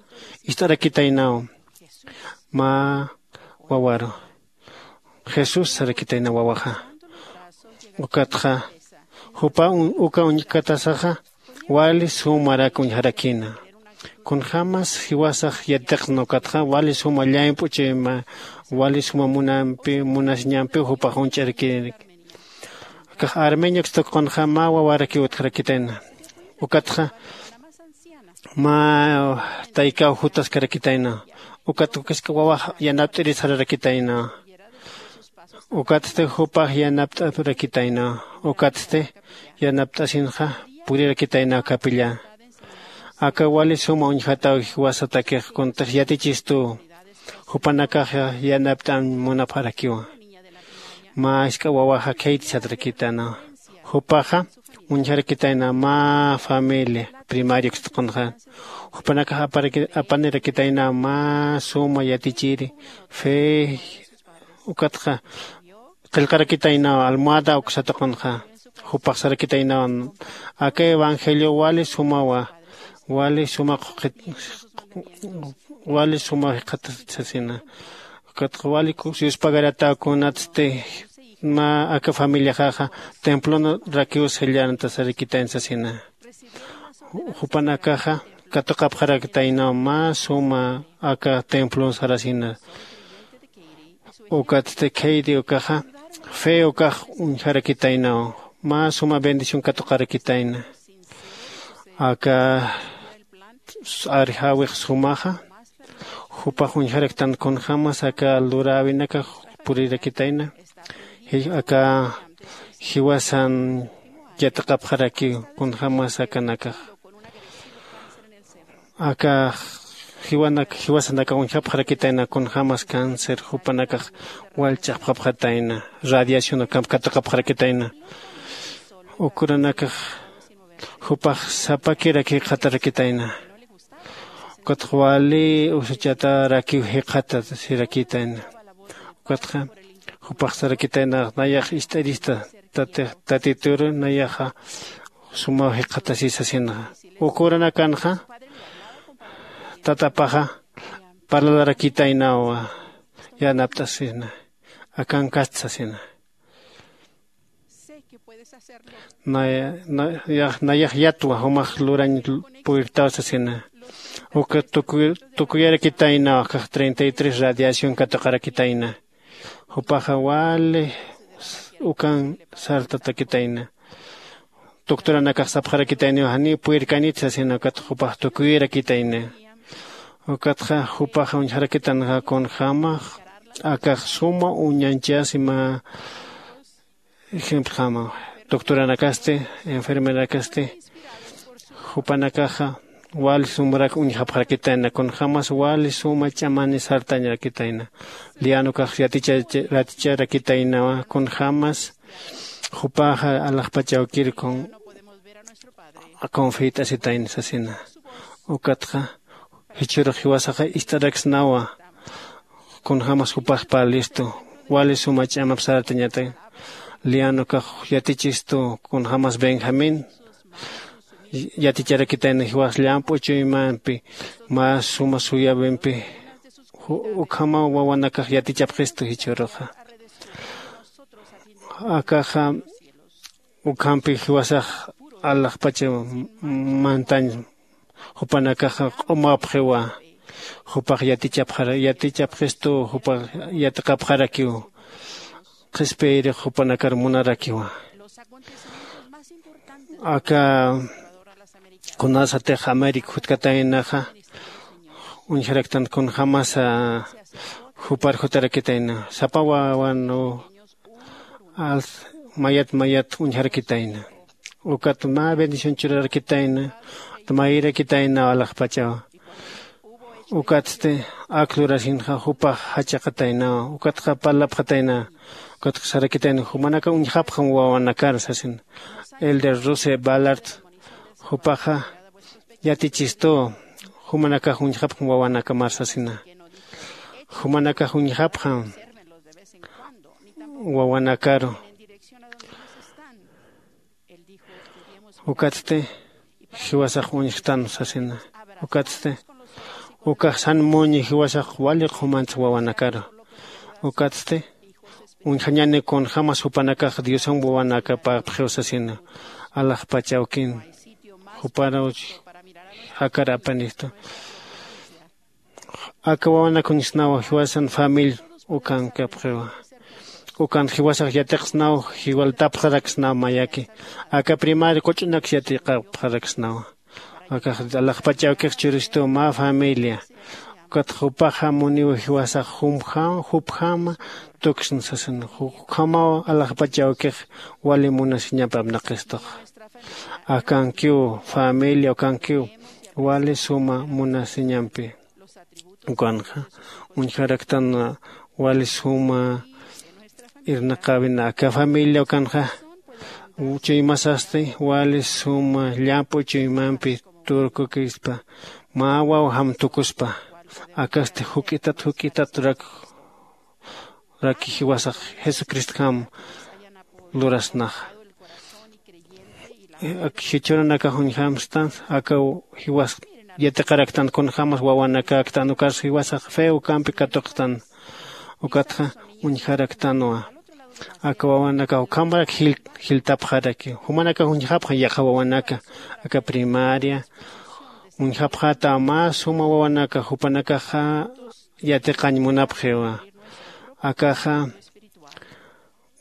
ist'arakitaynaw. Mä wawaru jesús sarakitayna wawaxa. Ukatxa jupa uka uñkatasaxa wali sumarak uñjarakïna. Kunjämas jiwasax yatiqsna ukatxa wali suma llamp'u chayma wali suma munampi munasiñampiw jupax uñch'arakïna. Akax armeño ukstukunxa mä wawarakiw utjarakitayna. Ukatxa mä taykaw jutaskarakitayna. Ukat ukask'a wawax yanapt'iri sararakitayna. Ukatsti jupax yanapt'arakitayna. Ukatsti yanapt'asinxa purirakitayna capilla. Aka wali suma uñjataw jiwasatakix kuntix yatichistuw. Jupanakaxa yanapt'an munapxarakiwa. Mä jisk'a wawaxa khayti satrakitana. Jupaxa uñjarakitayna mä familia primaria ukstuqunxa. Jupanakax apanirakitayna mä suma yatichiri fe. Ukatxa qillqarakitaynaw almohada uksatuqunxa. Jupaxsarakitaynaw aka evangelio wali sumawa. Wali suma qhuqit wali suma jiqhatasasina. Ukatxa wali yuspagaratäw kunatsti mä aka familiaxaxa templonrakiw sellantasarikitayn sasina. Jupanakaxa katuqapxarakitaynaw mä suma aka templon sarasina. Ukatsti khayri ukaxa fe ukax uñjarakitaynaw. Mä suma bendición katuqarakitayna. Aka arjawix sumaxa jupax uñjaraktan kunjämas aka luräwinakax purirakitayna. Aka jiwasan yatiqapxarakiw kunjämas akanakax. Aka jiwanak jiwasanakax uñjapxarakitayna kunjämas cáncer jupanakax wal ch'axpxapxatayna. Radiación ukamp katuqapxarakitayna. Ukuranakax jupax sapakiraki jikxatarakitayna. Ukatxa wali usachatarakiw jikxatasirakitäna. Ukatxa jupaxsarakitayna nayax ist'irista Tatituru nayaxa sumaw jikxatasisa sinaxa. Ukuranakanxa tatapaxa parlalarakitaynawa yanapt'asina. Akankatsa sina. Nayax yatwa jumax lurañ puyrtaw sasina. Uka tukuyarakitaynaw akax treinta y tres radiación katuqarakitayna. Jupaxa wali ukan sartatakitayna. Doctoranakax sapxarakitayniw janiw puyrkanit sasina ukatxa jupax tukuyarakitayna. Ukatxa jupaxa uñjarakitanaxa kunjämax akax suma uñanchasi mä ejemplojama. Doctoranakasti enfermerakasti jupanakaxa wali sumrak uñjapxarakitayna kunjämas wali suma ch'amani sartañarakitayna. Lianukax yaticharakitaynawa kunjämas jupaxa alaxpachawkir kun confiyt'asitayna sasina. Ukatxa jichhürux jiwasaxa ist'araksnawa kunjämas jupax parlistu wali suma ch'amap saratañata. Lianukax yatichistu kunjämas benjamín yaticharakitayna jiwas llamp'u chuymampi mä suma suyawimpi. Ukhamaw wawanakax yatichapxistu jichhüruxa. Akaxa ukhampi jiwasax alaxpacha mantañ jupanakaxa q'umapxiwa. Jupax yatichapxistu jupax yatiqapxarakiw. Qhispiyrix jupanakar munarakiwa. Aka kunasatix américa jutkataynaxa uñjaraktan kunjämasa jupar jutarakitayna sapa wawan mayat mayat uñjarakitayna. Ukat mä bendición churarakitayna. Mayrakitayna alaxpachaw. Ukatsti ak lurasinxa jupax jachaqataynawa. Ukatxa parlapxatayna. Ukatxa sarakitayna jumanaka uñjapxam wawanakar sasin. Elder ruse ballard jupaxa yatichistu jumanakax uñjapxam wawanakamar sasina. Jumanakax uñjapxam wawanakaru. Ukatsti jiwasax uñjtan sasina. Ukatsti ukax san muñi jiwasax wali qhumantsa wawanakaru. Ukatsti uñjañani kunjämas jupanakax diosan wawanakapapxiw sasina. Alaxpachawkin juparuch jakar apanistu. Aka wawanak uñjsnaw jiwasan familia ukankapxiwa. Ukan jiwasax yatiqsnaw jiwaltapxaraksnaw mayaki. Aka primaria quch'unaks yatiqapxaraksnawa. Akax alaxpachawkix churistuw mä familia. Ukat jupaxa muniw jiwasax jupjama tuksn sasin. Ukhamaw alaxpachawkix wali munasiñampi apnaqistux. Akankiw familia ukankiw wali suma munasiñampi. Ukanxa uñjaraktan wali suma irnaqäwina aka familia ukanxa. Chuymasasti wali suma llamp'u chuymampi turkukispa mä wawjam tukuspa. Akasti juk'itat juk'itat rak raki jiwasax jesucristjam lurasnaxa. Jichhürunakax uñjamstan aka jiwas yatiqaraktan kunjämas wawanakäktan ukarsa jiwasax fe ukampi katuqtan. Ukatxa uñjaraktanwa aka wawanakax ukhamarak jiltapxaraki. Jumanakax uñjapxan yaqha wawanaka aka primaria uñjapxätaw mä suma wawanaka jupanakaxa yatiqañ munapxiwa. Akaxa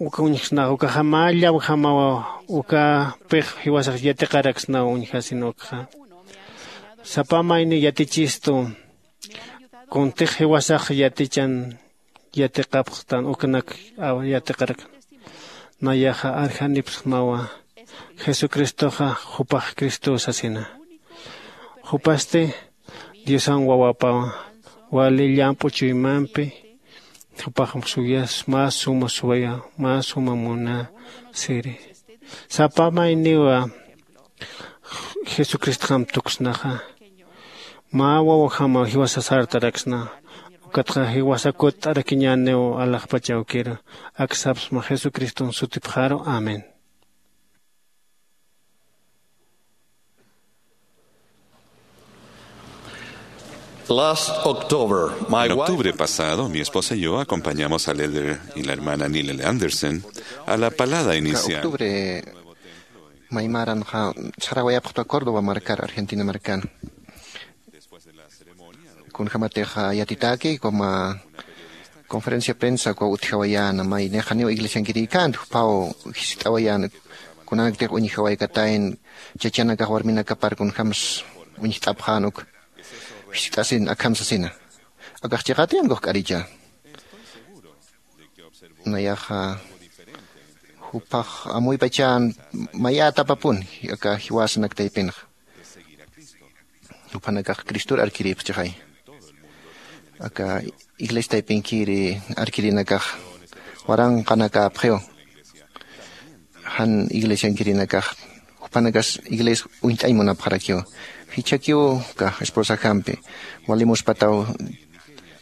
uka uñjsnax ukaxa mä llawjamawa. Ukapix jiwasax yatiqaraksnaw uñjasin ukxa. Sapa mayni yatichistu kuntix jiwasax yatichan yatiqapxtan uknak yatiqarakna. Nayaxa arjanipxsmawa jesucristoxa jupax cristow sasina. Jupasti diosan wawapawa wali llamp'u chuymampi. Jupaxam suyas mä suma suwaya mä suma muna siri. Sapa mayniwa jesucristjam tuksnaxa. Mä wawajama jiwasa sartaraksna. Ukatxa jiwasa kutt'arakiñäniw alaxpach awkiru. Ak sapsma jesucriston sutipxaru. Amén. Last October, my En wife octubre pasado, mi esposa y yo acompañamos al elder y la hermana Nilel Andersen a la palada inicial. Octubre maymaranxa sarawayapxta Córdoba markar, Argentina markan. Kunjämatix yatitäki, como conferencia prensa ukaw utjawayäna, may nix janiw iglesiankirïkänti, juphaw jiskt'awayäna, kunanaktix uñjawaykatäyan, chachanakax warminakapar kunjämsa uñjt'apxän uk jiskt'asin akham sasina. Akax chiqätayän ukax k'aricha. Nayaxa juphax amuypachän mayätapapuni aka jiwasanak taypinxa. Juphanakax cristor arkirïpxchixay. Aka iglesia taypinkiri arkirinakax waranqanakäpxiw. Jan iglesiankirinakax, jupanakas iglesia uñt'añ munapxarakiw. Jichhakiw aka esposajampi wali muspataw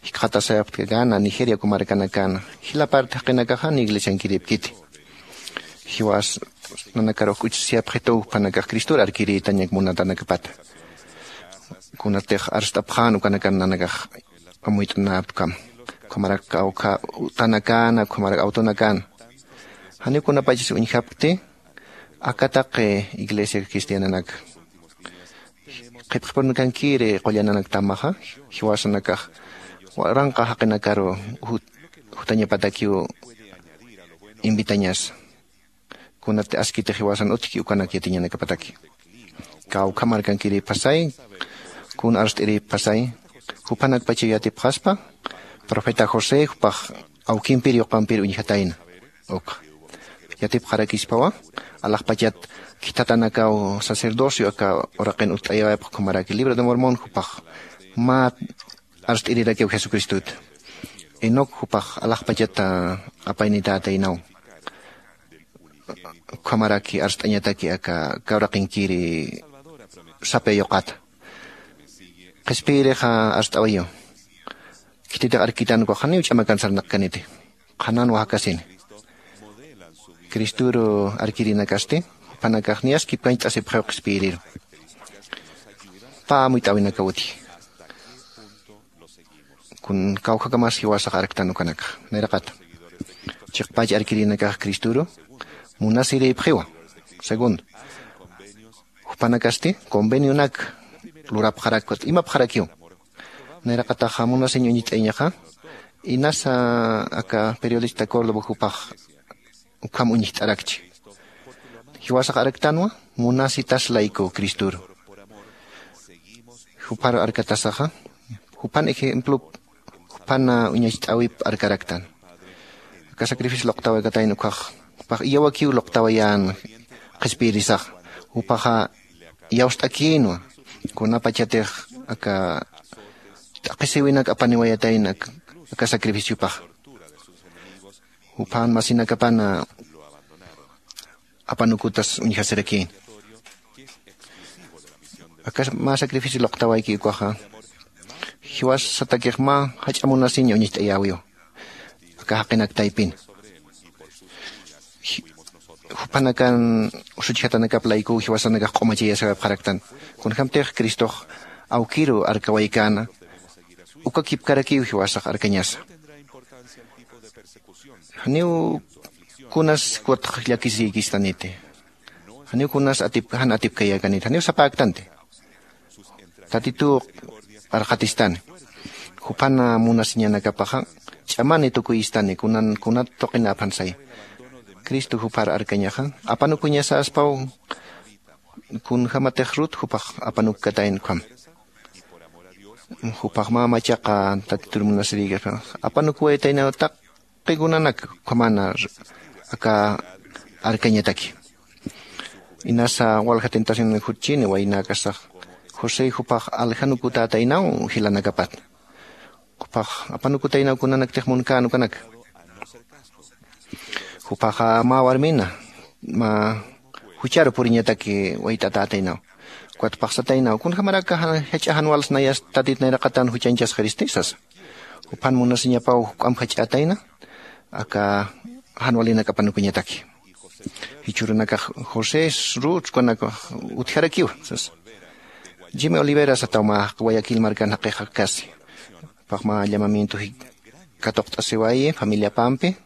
jikxatasayapxta, gana Nigeria uka markanakana, jila parte jaqinakax jan iglesiankirïpkiti. Jiwas nanakar uk k'uchsiyapxituw jupanakax cristor arkirïtañak munatanakapata. Kunatix arst'apxän ukanakan nanakax amuyt'anäpkam, ukhamarak awkha utanakäna, ukhamarak awtunakäna. Janiw kunapachas uñjapkti aka taqi iglesia cristiananak qhipxipurunakankiri qullananaktamäxa, jiwasanakax waranqa jaqinakaru jut- jutañapatakiw invitañasa. Kunat askiti jiwasan utjki ukanak yatiñanakapataki. Kawkha markankirïpxasay, kun arst'irïpxasay, jupanakpachaw yatipxaspa, profeta José jupax awkimpir yuqampir uñjatayna. Uk yatipxarakispawa, alaxpachat khithatanakaw sacerdocio aka uraqin utt'ayawayapx ukhamaraki libro de Mormón jupax mä arst'irirakiw Jesucristuta. Enoc jupax alaxpachata apaynitätaynaw. Ukhamaraki arst'añataki aka kawraqinkiri sapya yuqata. Qhispiyirixa arst'awayiw. Khititix arkitan ukax janiw ch'amakan sarnaqkaniti. Qhananwa jakasini. Cristoru arkirinakasti, jupanakax niyaskipkañcht'asipxiw qhispiyiriru. Pä amuyt'äwinakaw utji. Kun kawkhakamas jiwasax arktan ukanakxa. Nayraqata. Chiqpach arkirinakax Cristoru munasirïpxiwa. Segundo, jupanakasti convenionak lurapxarak, imapxarakiw. Nayraqataxa munasiñ uñt'ayañaxa, inasa aka periodista Córdoba jupax ukham uñjt'arakchi. Jiwasax arktanwa munasitas layku Cristoru. Jupar arkatasaxa, jupan ejemplo, jupan uñacht'äwip arkaraktan. Aka sacrificio luqtawaykatäyan ukkhax, jupax iyawakiw luqtawayän qhispiyirisaxa. Jupaxa iyawst'akïnwa, kunapachatix aka t'aqhisïwinak apaniwayatayna aka sacrificiopaxa. Juphan masinakapana apanukutas uñjasirakïn. Aka mä sacrificio luqtawayki ukaxa, jiwasatakix mä jach'a munasiñ uñacht'ayäwiw aka jaqinak taypin. Jupanakan usuchjatanakap laykuw jiwasanakax q'umachayasawayapxaraktan. Kunjämtix Cristox awkiru arkawaykäna, uka kipkarakiw jiwasax arkañasa. Janiw kunas kutx llakisirïkistaniti. Janiw kunas atip jan atipkayäkaniti, janiw sapäktanti. Tatituw arxatistani. Jupan munasiñanakapaxa ch'amani tukuyistani, kunan kunat tuqinäphan saya. Cristo jupar arkañaxa apanukuñasaspaw. Kunjämatix Rut jupax apanukkatayna ukham. Jupax mä machaqa Tatitur munasirïkaspa apanukuwayataynaw taqi kunanak ukhamana aka arkañataki. Inasa walja tentacionanak jutchini waynäkasax, José jupax aljanukutätaynaw jilanakapat. Jupax apanukutaynaw kunanaktix munkän ukanak. Jupaxa mä warmina mä jucharu puriñataki wayt'atätaynaw. Ukat phaxsataynaw, kunjämarak jach'a jan wals nayas Tatit nayraqatan juchañchasxiristi sasa. Juphan munasiñapaw juk'amp jach'ätayna aka jan walinak apanukuñataki. Jichhürunakax josés ruts kunakax utjarakiwa sasa. Jimmy olivera sataw mä guayaquil markan jaqixa kasi. Jupax mä llamamiento katuqt'asiwayi familiapampi.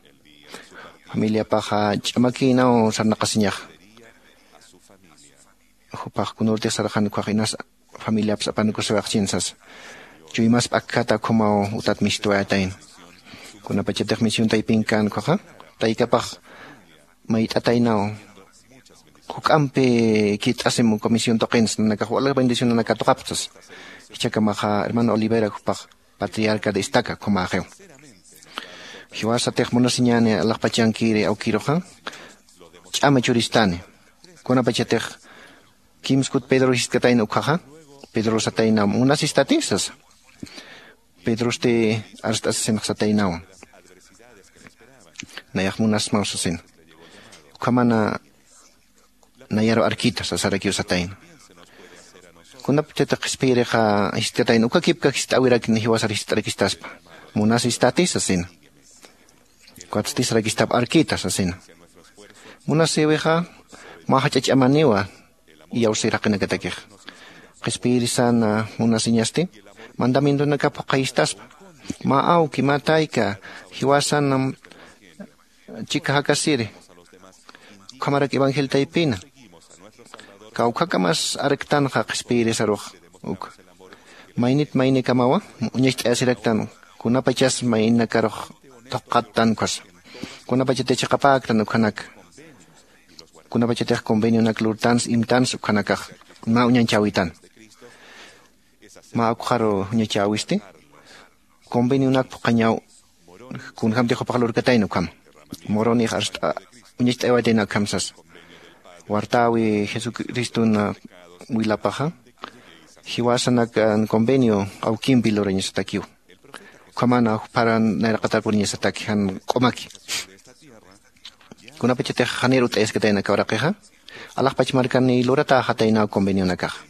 Familiapaxa ch'amakïnaw sarnaqasiñaxa. Jupax kunürtix sarxan ukkhax inas familiapas apanukusiwayxchin sasa. Chuymaspa akkata ukhamaw utat mistwayatayna. Kunapachatix misión taypin kän ukkhaxa taykapax mayt'ataynaw juk'ampi kirt'asim uka misión tuqinsa nanakax wali bendicionanak katuqapxta sasa. Jichhakamaxa hermano olivera jupax patriarca de estaca ukhamäxiw. Jiwasatix munasiñäni alaxpachankiri awkiruxa ch'ama churistani. Kunapachatix kimskut pedro jistkatayna ukkhaxa pedro satayna munasistati sasa. Pedrosti arst'asisinx sataynawa. Nayax munasmaw sasina. Ukhamana nayaru arkita sasarakiw satayna. Kunapachatix qhispiyirixa jistkatayna uka kipka jist'äwirakni jiwasar jist'arakistaspa. Munasistati sasina. Ukatsti sarakistap arkita sasina. Munasïwixa mä jach'a ch'amaniwa iyawsir jaqinakatakixa. Qhispiyirisan munasiñasti mandamientonakap phuqhayistaspa. Mä awki mä tayka jiwasan chika jakasiri ukhamarak evangel taypina. Kawkhakamas arktanxa qhispiyirisarux uk maynit maynikamawa uñacht'ayasiraktan kunapachas maynakarux thuqattan ukhasa. Kunapachatix chiqapäktan ukhanaka kunapachatix convenionak lurtans imtans ukhanakax mä uñanchäwitan. Mä ukxaru uñachäwisti convenionak phuqhañaw kunjämtix jupax lurkatayna ukham. Moronix arst'a uñacht'aywatayna ukham sasa. Wartäwi jesucriston wilapaxa jiwasanakan convenio awkimpi lurañasatakiw. Ukhamana jupharan nayraqatar puriñasataki jan q'umaki. Kunapachatix janir ut'ayaskatayna aka uraqixa alaxpach markani luratäxataynaw convenionakaxa.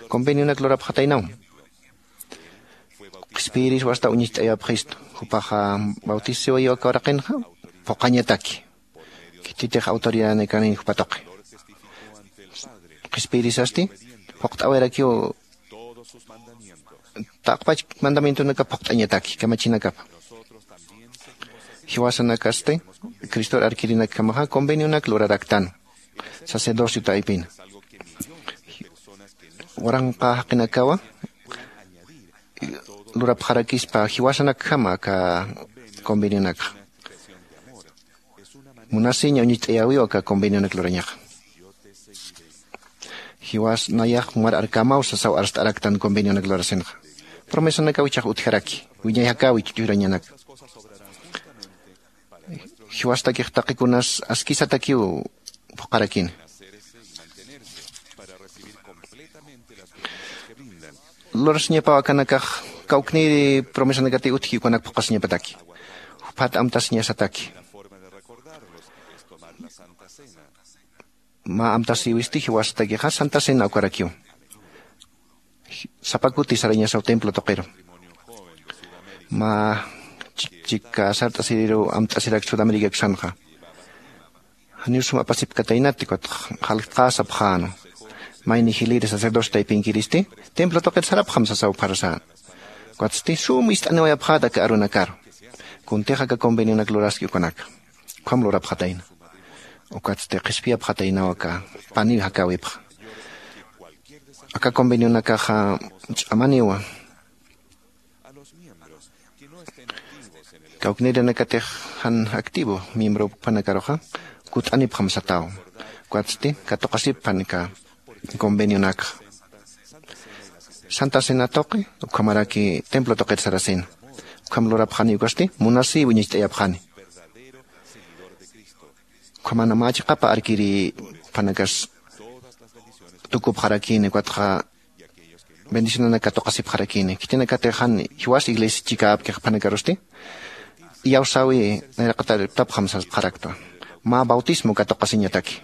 Convenionak lurapxataynaw qhispiyiris wasta uñacht'ayapxistu. Jupaxa bautisiwayiw aka uraqinxa phuqhañataki. Khititix autoridadnakanin jupa tuqi qhispiyirisasti phuqt'awayrakiw taqpach mandamientonakap phuqt'añataki kamachinakapa. Jiwasanakasti cristor arkirinakjamaxa convenionak luraraktan sacerdocio taypina. Waranqa jaqinakawa lurapxarakispa jiwasanakjama aka convenionakxa. Munasiña uñacht'ayäwiw aka convenionak lurañaxa. Jiwas nayax mar arkämaw sasaw arst'araktan convenionak lurasinxa. Promesanakaw ichhax utjaraki wiñay jakäwi churañanaka. Jiwastakix taqikunas askisatakiw phuqharakini. Lurasiñapaw akanakax kawknïri promesanakati utji ukanak phuqhasiñapataki. Juphat amtasiñasataki. Mä amtasïwisti jiwasatakixa santa cena ukarakiw. Sapa kuti sarañasaw templo tuqiru mä chika sart'asiriru amt'asirak sudamericakusanxa. Janiw sum apasipkataynati ukat jaltqä sapxäna. Mayni jiliri sacerdocio taypinkiristi templo tuqit sarapxam sasaw pharasän. Ukatsti sum ist'aniwayapxäta aka arunakaru. Kuntix aka convenionak luraski ukanaka ukham lurapxatayna. Ukatsti qhispiyapxataynaw aka paniw jakäwipxa. Aka convenionakaxa ch'amaniwa. Kawknirinakatix jan activo miembro panakaruxa kut'anipxam sataw. Ukatsti katuqasipxan aka convenionakxa santa cena tuqi ukhamaraki templo tuqit sarasina. Ukham lurapxani ukasti munasïwi uñacht'ayapxani. Ukhamana mä chiqapa arkiri panakas tukupxarakini ukatxa bendicionanak katuqasipxarakini khitinakatix jan jiwas iglesia chikäpkix panakarusti iyawsäwi nayraqatariptapxam sasqarakta. Mä bautismo katuqasiñataki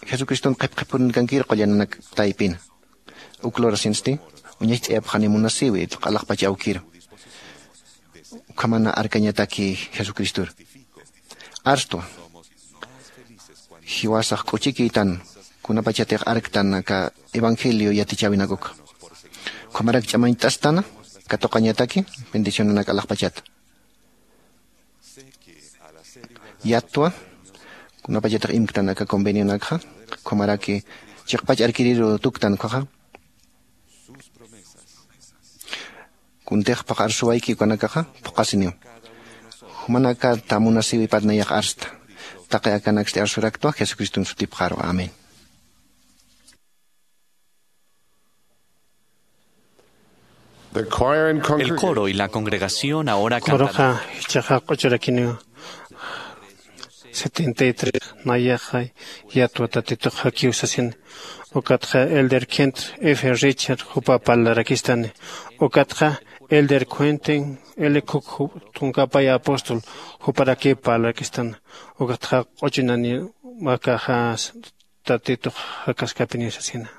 jesucriston qhipqhipurunkankir qullananak taypina. Uk lurasinsti uñacht'ayapxani munasiwi q'alaxpach awkiru. Ukhamana arkañataki Jesucristor. Arstwa. Jiwasax k'uchikiytan kunapachatix arktan aka evangelio yatichäwinakuk. Ukhamarak ch'amañt'astana katuqañataki bendicionanak alaxpachata. Yatwa kunapachatix imktan aka convenionakxa, ukhamaraki chiqpach arkiriru tuktan ukhaxa. Kuntix phaxarsuwayki ukanakaxa phuqasiniw. Jumanakata munasiwipat nayax arsta. Taqi akanaksti arsuraktwa Jesucriston sutipxaru. Amén. El coro y la congregación ahora cantarán. Coroxa jichhaxa q'uchurakiniw. Setenta y tres, nayaxa yatwa Tatitux jakiw sasin. Ukatxa Elder Kent F Richard jupa parlarakistani. Ukatxa Elder Quentin L Cook ju-, tunka pay apóstol juparaki parlarakistan. Ukatxa q'uchunani makaxa Tatitux jakaskapiniw sasina.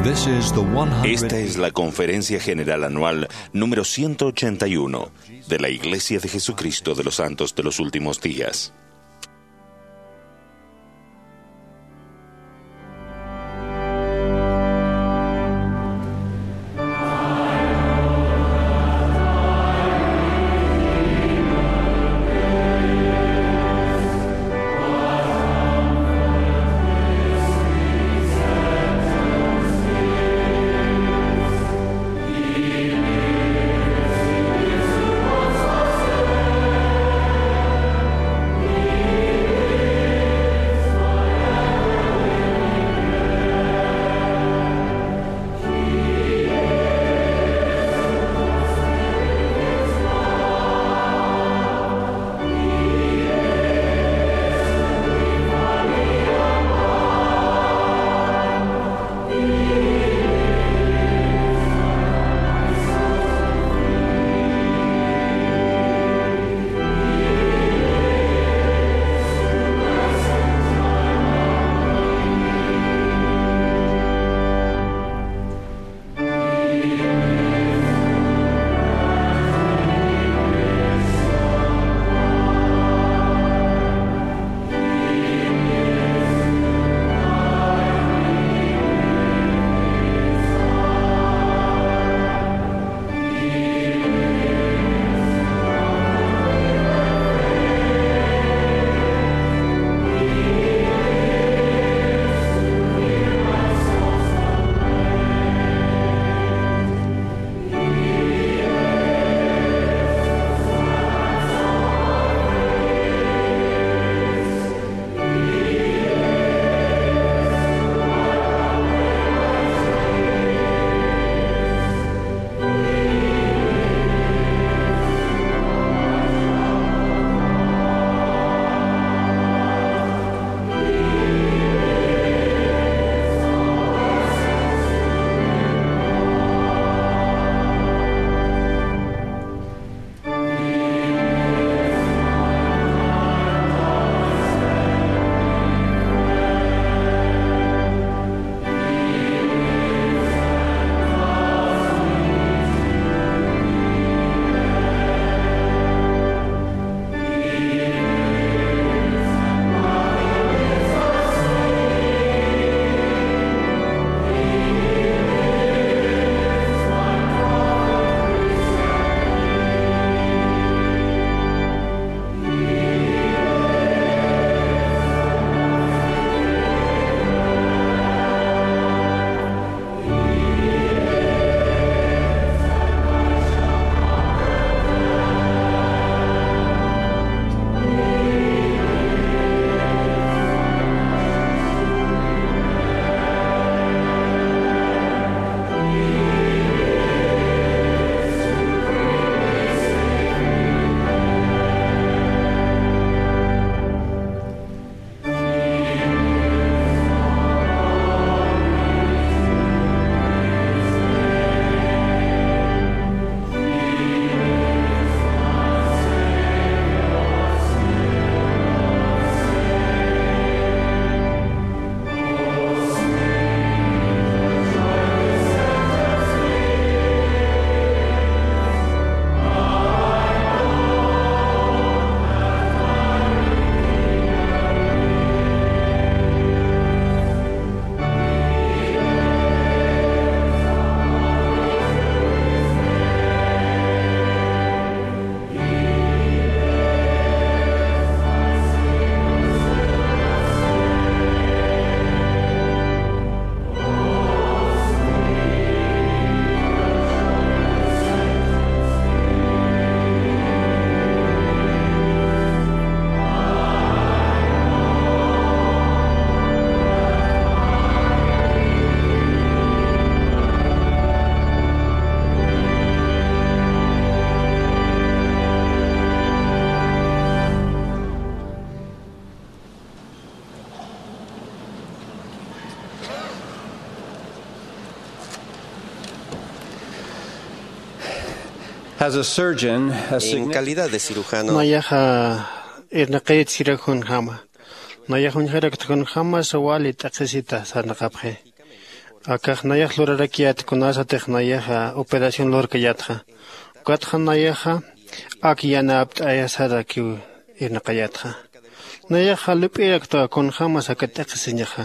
This is the one hundred. Esta es la Conferencia General Anual número ciento ochenta y uno de la Iglesia de Jesucristo de los Santos de los Últimos Días. As a surgeon, a En significant calidad de cirujano, Nayaxa irnaqayat sirakjunjama. Nayax uñjarakta kunjämasa wali t'aqhisita sarnaqapxi. Akax nayax lurarakiyät kunasatix nayaxa operación lurkayätxa. Ukatxa nayaxa ak yanapt'ayasarakiw irnaqayätxa. Nayaxa lup'irakta kunjämas aka t'aqhisiñaxa.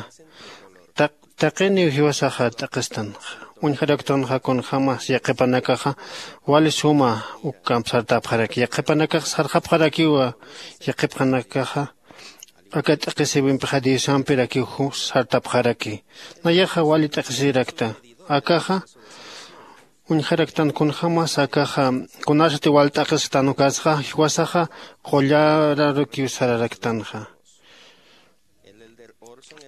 Taq- taqiniw jiwasaxa t'aqhistanxa. Uñjaraktanxa kunjämas yaqhipanakaxa wali suma uk kamp sartapxaraki. Yaqhipanakax sarxapxarakiwa. Yaqhipxanakaxa aka t'aqhisiwimpixa diosampirakiw sartapxaraki. Nayaxa wali t'aqhisirakta. Akaxa uñjaraktan kunjämas akaxa kunasati wal t'aqhisktan ukasxa jiwasaxa qullararukiw sararaktanxa.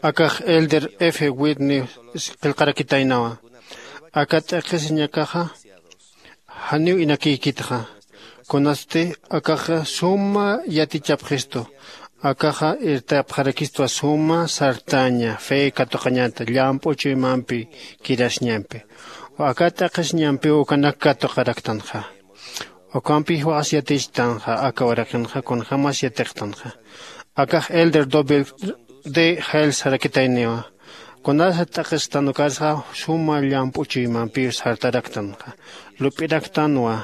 Akax elder f whitney qillqarakitaynawa. Aka t'aqhisiñakaxa janiw inakïkitxa. Kunasti akaxa suma yatichapxistu. Akaxa irtapxarakistwa suma sartaña fe katuqañata llamp'u chuymampi kirasiñampi. Aka t'aqhisiñampiw ukanak katuqaraktanxa. Ukampi jiwas yatichtanxa aka uraqinxa kunjämas yatiqtanxa. Akax elder doble de jail sarakitayniwa. Kunasa t'aqhisktan ukasxa suma llamp'u chuymampiw sartaraktanxa. Lup'iraktanwa.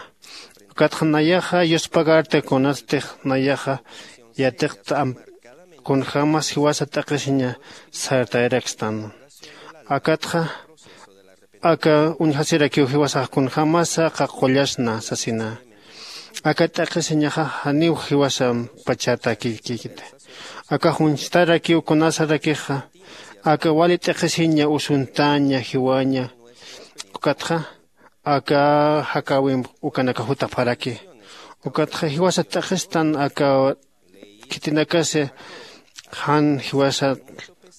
Ukatxa nayaxa yuspagarta kunatstix nayaxa yatiqt'am kunjämas jiwasa t'aqhisiña sartayarakstan. Akatxa aka uñjasirakiw jiwasax kunjämasa qaqullasna sasina. Aka t'aqhisiñaxa janiw jiwasam pachätakïkita. Akax uñstarakiw kunasarakixa aka wali t'aqhisiña usuntaña jiwaña. Ukatxa aka jakäwimp ukanaka jutapxaraki. Ukatxa jiwasa t'aqhistan aka khitinakasa jan jiwasa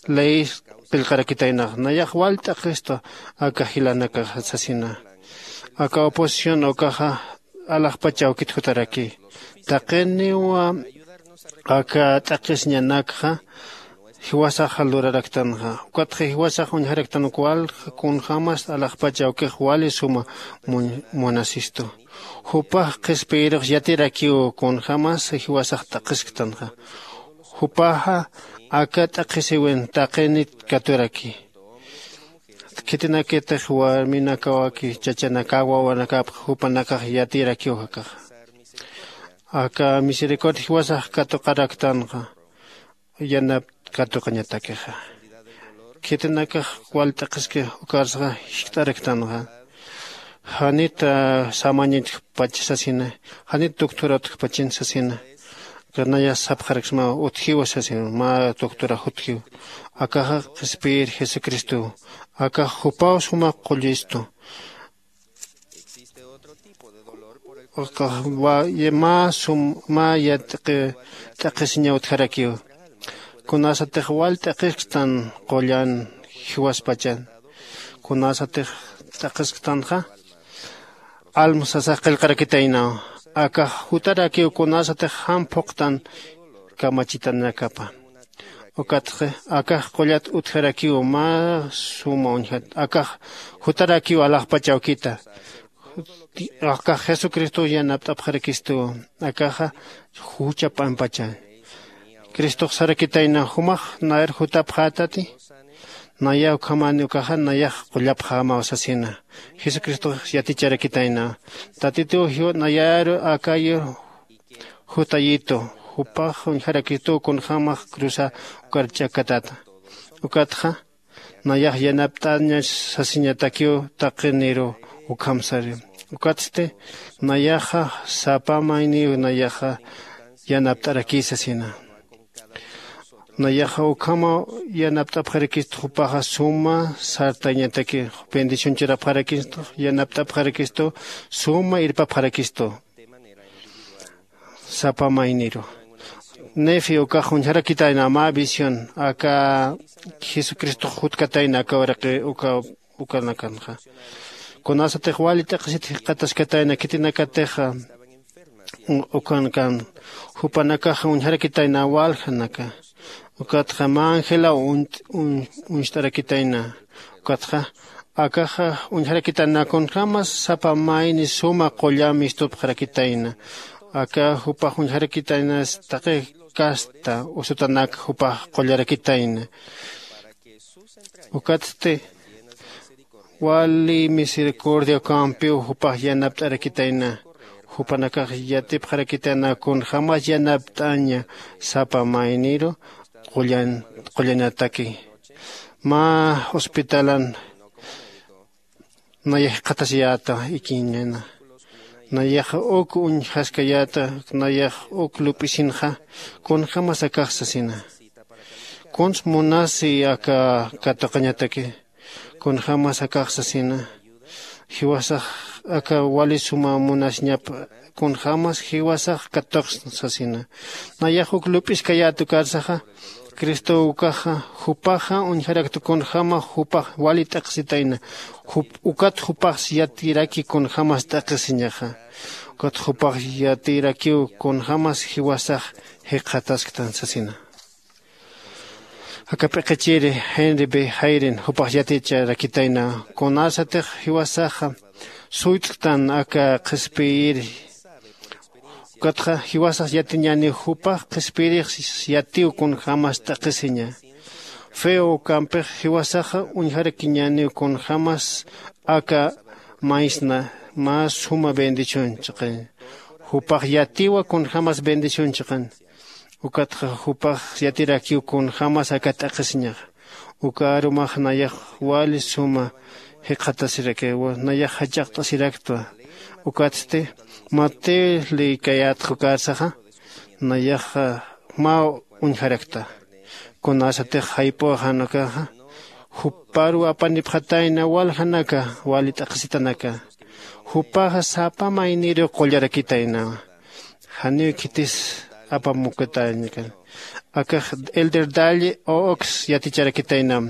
ley qillqarakitaynax nayax wal t'aqhistu. Aka jilanakaxa sasina aka oposición ukaxa alaxpach awkit jutaraki. Taqiniwa aka t'aqhisiñanakxa jiwasaxa luraraktanxa. Ukatxa jiwasax uñjaraktan uka wal kunjämas alaxpach awkix wali suma mun- munasistu. Jupax qhispiyirux yatirakiw kunjämas jiwasax t'aqhisktanxa. Jupaxa aka t'aqhisiwin taqinit katuraki. Khitinakitix warminakawaki chachanakaw wawanakapx jupanakax yatirakiw jakaxa. Aka misericordia jiwasax katuqaraktanxa. Yanap katuqañatakixa khitinakax wal t'aqhiski ukarsaxa jiskt'araktanxa. Janit samaña utjpach sasina. Janit doctora utjpachin sasina. Kanaya sapxaraksma utjiwa sasina mä doctora jutjiw. Akaxa qhispiyir jesucristow. Akax jupaw suma qullistu. Mä sum mä yat'aqi t'aqhisiñaw utjarakiw. Kunasatix wal t'aqhisktan qullan jiwaspachan kunasatix t'aqhisktanxa. Alma sasax qillqarakitaynaw. Akax jutarakiw kunasatix jan phuqtan kamachitanakapa. Ukatxa akax qullat utjarakiw mä suma uñjat akax jutarakiw alaxpach awkita. Akax jesucristow yanapt'apxarakistuwa. Akaxa jucha p'ampachan cristox sarakitayna jumax nayar jutapxätati. Nayaw ukhamani ukaxa nayax qullapxämaw sasina. Jesucristox yaticharakitayna tatituw jiw nayaru akayu jutayitu. Jupax uñjarakituw kunjämax cruza ukar ch'akatata. Ukatxa nayax yanapt'aña sasiñatakiw taqiniru ukham sari. Ukatsti nayaxa sapa mayniw nayaxa yanapt'arakï sasina. Nayaxa ukhamaw yanapt'apxarakistu jupaxa suma sartañataki bendición churapxarakistu yanapt'apxarakistu suma irpapxarakistu. Sapa mayniru nefi ukax uñjarakitayna mä visión aka jesucristox jutkatayna aka uraqi uka ukanakanxa. Kunasatix wali t'aqhisit jikxataskatayna khitinakatixa ukankan jupanakaxa uñjarakitayna waljanaka. Ukatxa mä angelaw uñt'arakitayna. Ukatxa Akaxa uñjarakitana kunjämas sapa mayni suma qulla mistupxarakitayna. Aka jupax uñjarakitaynas taqi kasta usutanak jupax qullarakitayna. Ukatsti wali misericordia ukampiw jupax yanapt'arakitayna. Jupanakax yatipxarakitayna kunjämas yanapt'aña sapa mayniru qullan qullanataki. Mä hospitalan nayax jikxatasiyäta ikiñana. Nayax uk uñjaskayäta nayax uk lup'isinxa kunjämas akax sasina. Kuns munasi aka katuqañataki kunjämas akax sasina. Jiwasax aka wali suma munasiñap kunjämas jiwasax katuqsna sasina. Nayax uk lup'iskayät ukarsaxa cristo ukaxa jupaxa uñjarakta kunjäma jupax wali t'aqhisitayna. Ukat jupax yatiraki kunjämas t'aqhisiñaxa. Ukat jupax yatirakiw kunjämas jiwasax jikxatasktan sasina. Aka p'iqichiri henry b jairin jupax yaticharakitayna kunasatix jiwasaxa suyt'ktan aka qhispiyiri. Ukatxa jiwasax yatiñäniw jupax qhispiyirix yatiw kunjämas t'aqhisiña. Feo ukampix jiwasaxa uñjarakiñäniw kunjämas aka maysna mä suma bendición chiqañ. Jupax yatiwa kunjämas bendición chiqañ. Ukatxa jupax yatirakiw kunjämas aka t'aqhisiñaxa. Uka arumax nayax wali suma jikxatasirakiwa nayax jach'aqt'asiraktwa. Ukatsti mateo lïkayätxa ukarsaxa nayaxa mä uñjarakta. Kunasatix jayp'uxan ukaxa juparuw apanipxatayna waljanaka wali t'aqhisitanaka. Jupaxa sapa mayniruw qullarakitaynawa. Janiw khitis apamukatäñakan. Akax elder dalle ox yaticharakitaynam.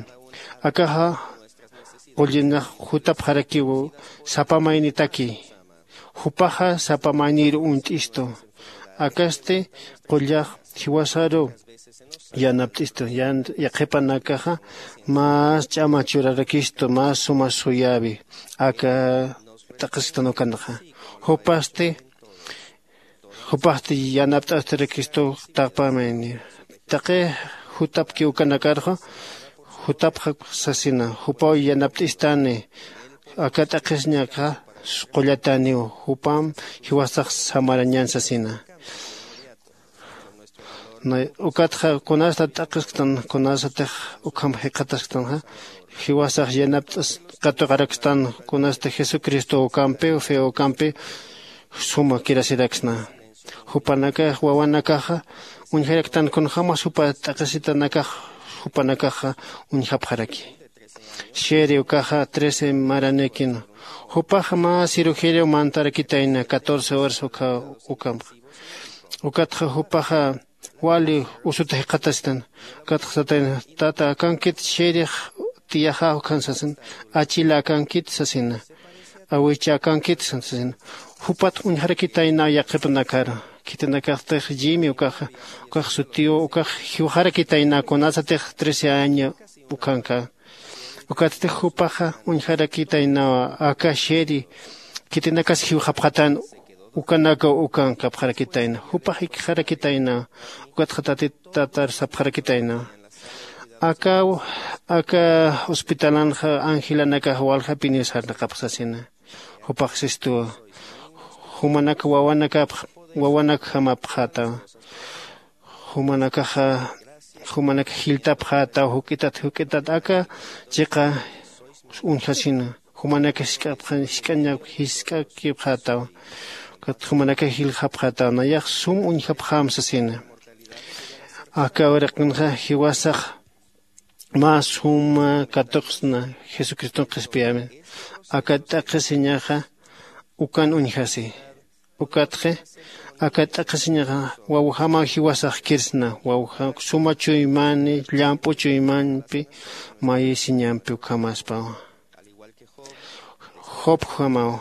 Akaxa qullinax jutapxarakiw sapa maynitaki. Jupaxa sapa maynir uñt'istu. Akasti qullax jiwasaru yanapt'istu. Yaqhipanakaxa mas ch'ama churarakistu mas suma suyäwi aka t'aqhisktan ukanxa. Jupasti jupaxti yanapt'astarakistu. Taqpamayni taqi jutapki ukanakarxa jutapxak sasina. Jupaw yanapt'istani aka t'aqhisiñakxa qullatäniw. Jupam jiwasax samarañän sasina. Ukatxa kunastat t'aqhisktan kunasatix ukham jikxatasktanxa jiwasax yanapt'as katuqarakstan. Kunasti jesucristo ukampiw fe ukampi suma kirasiraksna. Jupanakax wawanakaxa uñjaraktan kunjämas jupa t'aqhisitanakax jupanakaxa uñjapxaraki. Sheri ukaxa trece maranïkina. Jupaxa mä cirugeriaw mantarakitayna catorce horas ukha ukampxa. Ukatxa jupaxa wali usuta jikxatastan. Ukatxa satayna tata akankit sherix tiyaxä ukhan sasin. Achila akankit sasina. Awicha akankit sasina. Jupat uñjarakitayna yaqhipanakar khitinakaxtix jimi ukaxa ukax sutiw ukax jiwxarakitayna kunasatix trece año ukhanka. Ukatstix jupaxa uñjarakitaynawa aka sheri khitinakas jiwxapxatan. Ukanakaw ukankapxarakitayna jupax ikxarakitaynawa. Ukatxa tatit tatar sapxarakitaynawa. Aka aka hospitalanxa angelanakax waljapiniw sarnaqapxsasina. Jupax sistuwa jumanak wawanakapx wawanakjamapxätawa. Jumanakaxa jumanak jiltapxätaw juk'itat juk'itat aka chiqa uñjasina. Jumanaka jisk'apxan jisk'añap jisk'akipxätaw. Kat jumanaka jiljapxätaw nayax sum uñjapxäm sasina. Aka uraqinxa jiwasax mä suma katuqsna jesucriston qhispiyämi. Aka t'aqhisiñaxa ukan uñjasi. Ukatxi aka t'aqhisiñaxa wawjamaw jiwasax kirsna wawja suma chuymani llamp'u chuymanpi mayisiñampi ukhamaspawa. Jobjamaw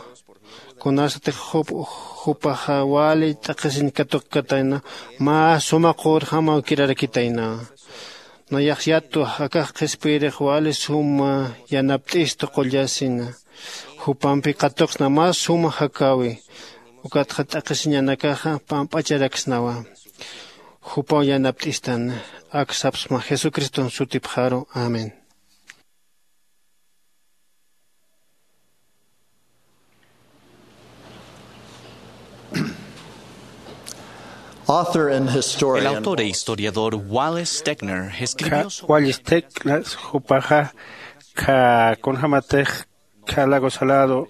kunasatix job jupaxa wali t'aqhisiñ katuqkatayna mä suma qurjamaw kirarakitaynawa. Nayax yatwa akax qhispiyirix wali suma yanapt'istu qullasina. Jupampi katuqsna mä suma jakäwi. Ukatxa t'aqhisiñanakaxa pamp'acharaksnawa. Jupaw yanapt'istan. Ak sapsma jesucriston sutipxaru. Amén. Author and historian. El autor e historiador Wallace Stegner escribió sobre Wallace Stegner jupaxa kha kunjämatix kha lago salado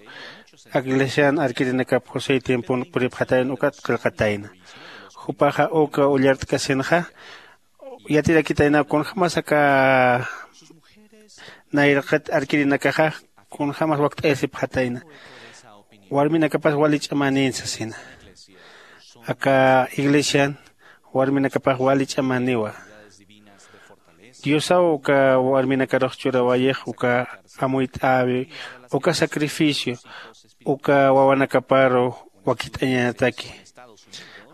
ak iglesian arkirinakap josé tiempon puripxatayan ukat qillqatayna. Jupaxa uka ullart'kasinxa yatirakitayna kunjämas aka nayraqat arkirinakaxa kunjämas wakt'ayasipxatayna. Warminakapas wali ch'amanïn sasina. Aka iglesian warminakapax wali ch'amaniwa. Diosaw uka warminakarux churawayix uka amuyt'äwi uka sacrificio uka wawanakaparu wakicht'añataki.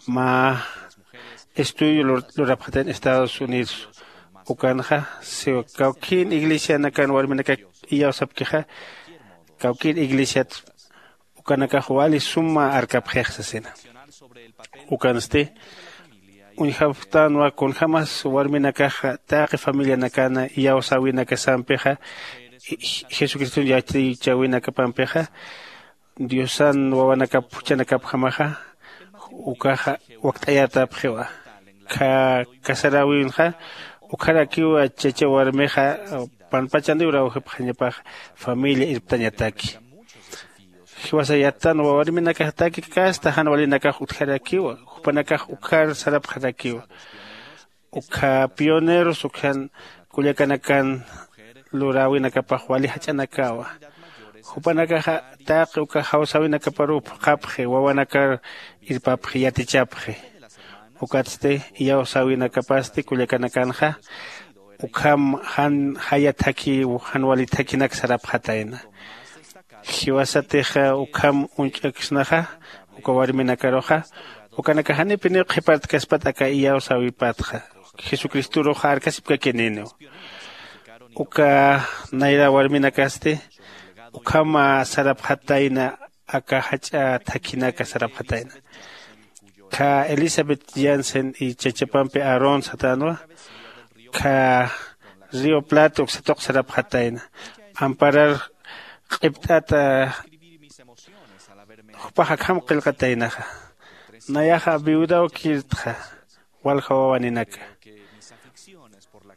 Mä estudio lurapxatin estados unidos ukanxa siwa kawkïn iglesianakan warminakak iyawsapkixa kawkïr iglesiat ukanakax wali suma arkapxix sasina. Ukansti uñjapxtanwa kunjämas warminakaxa taqi familianakana iyawsäwinakasampixa jesucriston yatichäwinakapampixa diosan wawanakap juchanakapjamaxa ukaxa wakt'ayatapxiwa. Kha casaräwinxa ukharakiwa chacha warmixa panpachaniw rawjipxañapax familia irptañataki. Jiwasa yattanwa warminakaxtaki kasta jan walinakax utjarakiwa jupanakax ukhar sarapxarakiwa. Ukha pioneros ukhan kullakanakan luräwinakapax wali jach'anakawa. Jupanakaxa taqi uka jawsäwinakaparuw phuqhapxi wawanakar irpapxi yatichapxi. Ukatsti iyawsäwinakapasti kullakanakanxa ukham jan jaya thakhiw jan wali thakhinak sarapxatayna. Jiwasatixa ukham uñch'aksnaxa uka warminakaruxa ukanakax janipiniw qhipartkaspat aka iyawsäwipatxa jesucristoruxa arkasipkakininiw. Uka nayra warminakasti ukhama sarapxatayna aka jach'a thakhinaka sarapxatayna. Kha elizabeth jansen y chachapampi aarón satanwa kha río plata uksatuq sarapxatayna amparar q'ipt'ata jupax akham qillqataynaxa. Nayaxa viudaw kirtxa walja wawaninaka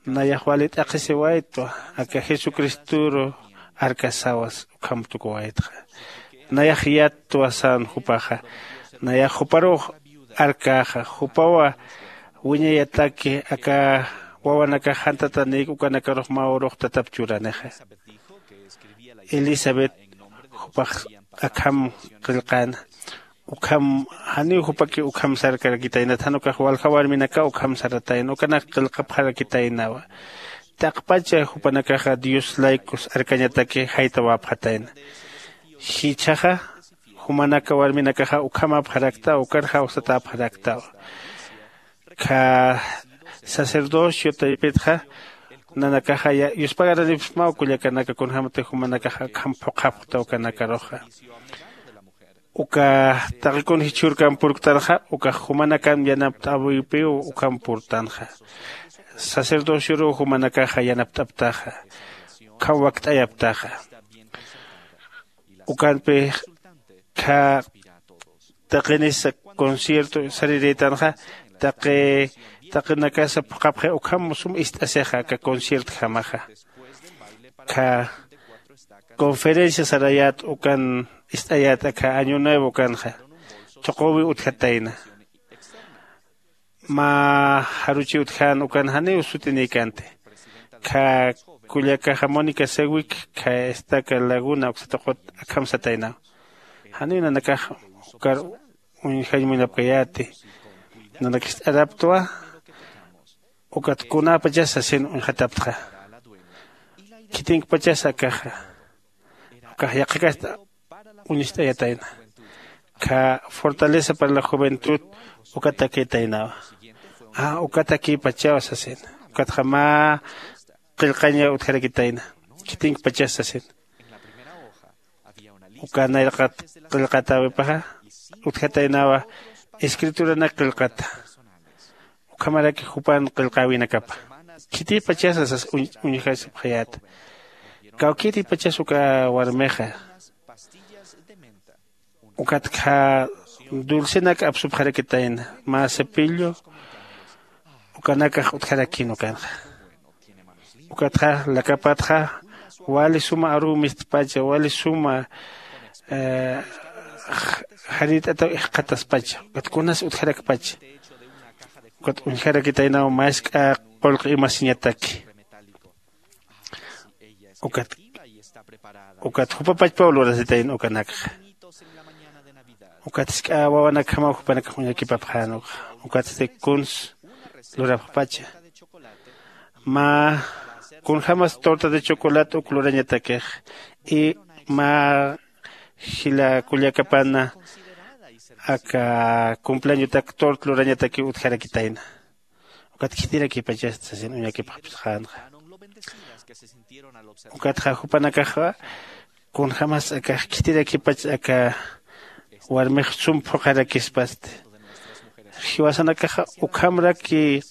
nayax wali t'aqhisiwaytwa aka jesucristoru arkasawas ukham tukuwaytxa. Nayax yattwa sän jupaxa nayax juparux arkäxa jupawa wiñayataki aka wawanakax jantatanïk ukanakarux mä urux tatap churanixa. Elizabeth jupax akham qillqäna ukham janiw jupaki ukham sarkarakitayna jan ukax walja warminaka ukham saratayna ukanak qillqapxarakitaynawa. Taqpacha jupanakaxa dios laykus arkañataki jaytawapxatayna. Jichhaxa jumanaka warminakaxa ukhamapxaraktawa ukar jawsatäpxaraktawa. Kha sacerdocio taypitxa nanakaxa yuspagaranipismaw kullakanaka kunjämatix jumanakaxa akham phuqhapxta ukanakaruxa. Uka taqi kun jichhürkam purktanxa ukax jumanakan yanapt'äwipiw ukham purtanxa. Sacerdocioruw jumanakaxa yanapt'aptaxa ukham wakt'ayaptaxa. Ukanpix kha taqinisa concierto sarirïtanxa taqi taqinakasa phuqhapxi ukham sum ist'asixa aka conciertjamaxa. Kha conferencia sarayät ukan ist'ayät aka año nuevo ukanxa thuquwi utjatayna. Mä jaruchi utjän ukan janiw sutinïkänti. Kha kullakaxa mónica sewik kha estaca laguna uksatuqut akham sataynaw. Janiw nanakax ukar uñjañ munapkayäti. Nanakist'araptwa ukat kunäpachas sasin uñjataptxa. Khitinkpachas akaxa ukax yaqhakasta uñist'ayatayna. Kha fortaleza para la juventud ukatakitaynawa. Ukatakïpachaw sasina. Ukatxa mä qillqaña utjarakitayna. Khitinki pachas sasin. Uka nayraqat qillqatäwipaxa utjataynawa escrituranak qillqata. Ukhamaraki jupan qillqäwinakapa. Khitïpachasa sas uñjasipxayäta. Kawkïrïpachas uka warmixa. Ukatxa dulcenak apsupxarakitayna mä cepillo. Ukanakax utjarakïn ukanxa. Ukatxa lakapatxa wali suma aruw mistpacha wali suma jarirt'ataw ixqataspacha ukat kunas utjarakpacha. Ukat uñjarakitaynaw mask'a qullqi imasiñataki. Ukat ukat jupapachpaw lurasitayna ukanakxa. Ukat jisk'a wawanakjamaw jupanakax uñakipapxän ukxa. Ukatsti kuns lurapxpacha mä kunjämas torta de chocolate uk lurañatakix y mä jila kullakapana aka cumpleañotak tort lurañatakiw utjarakitayna. Ukat khitirakipachasta sasin uñakipxapxänxa. Ukatxa jupanakaxa kunjämas akax khitirakipach aka warmix sum phuqharakispasti. Jiwasanakaxa ukhamraki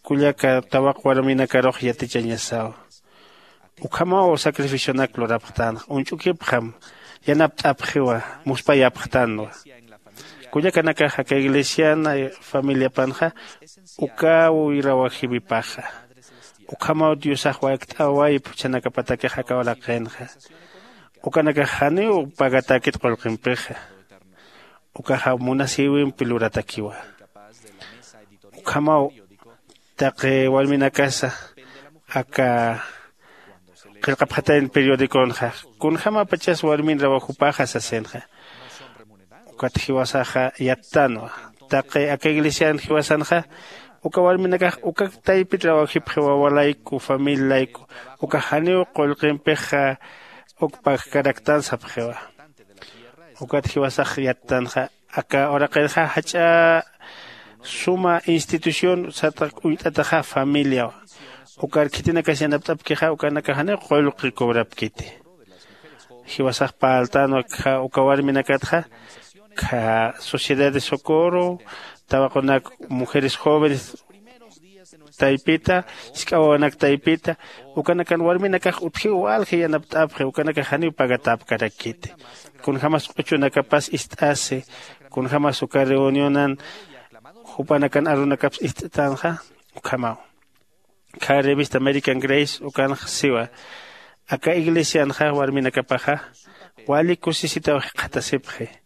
kullaka tawaq warminakarux yatichañasaw. Ukhamaw sacrificionak lurapxtänxa uñch'ukipxam yanapt'apxiwa muspayapxtänwa. Kullakanakax aka iglesiana familiapanxa ukaw irawajiwipaxa. Ukhamaw diosax wakt'awayp juchanakapatakix aka uraqinxa. Ukanakax janiw pagatäkit qullqimpixa. Ukaxa munasïwimpi luratakiwa. Ukhamaw taqi warminakasa aka qillqapxatayna periodiconxa kunjämapachas warmin rawajupaxa sasinxa. Ukat jiwasaxa yattänwa taqi aka iglesian jiwasanxa uka warminakax uka taypit rawajipxi wawa layku familia layku uka janiw qullqimpixa uk pagkaraktan sapxiwa. Ukat jiwasax yattanxa aka uraqirxa jach'a suma institución sartaq uñt'ataxa familiaw. Ukar khitinakas yanapt'apkixa ukanakax janiw qullqi cobrapkiti. Jiwasax parltänwa uka warminakatxa kha sociedad de socorro tawaqunak mujeres jóvenes taypita jisk'a wawanak taypita ukanakan warminakax utjiw walji yanapt'apxi ukanakax janiw pagatäpkarakiti. Kunjämas q'uchunakapas ist'asi kunjämas uka reunionan jupanakan arunakaps ist'tanxa. Ukhamaw kha revista american grace ukanx siwa aka iglesianxa warminakapaxa wali kusisitaw jikxatasipxi.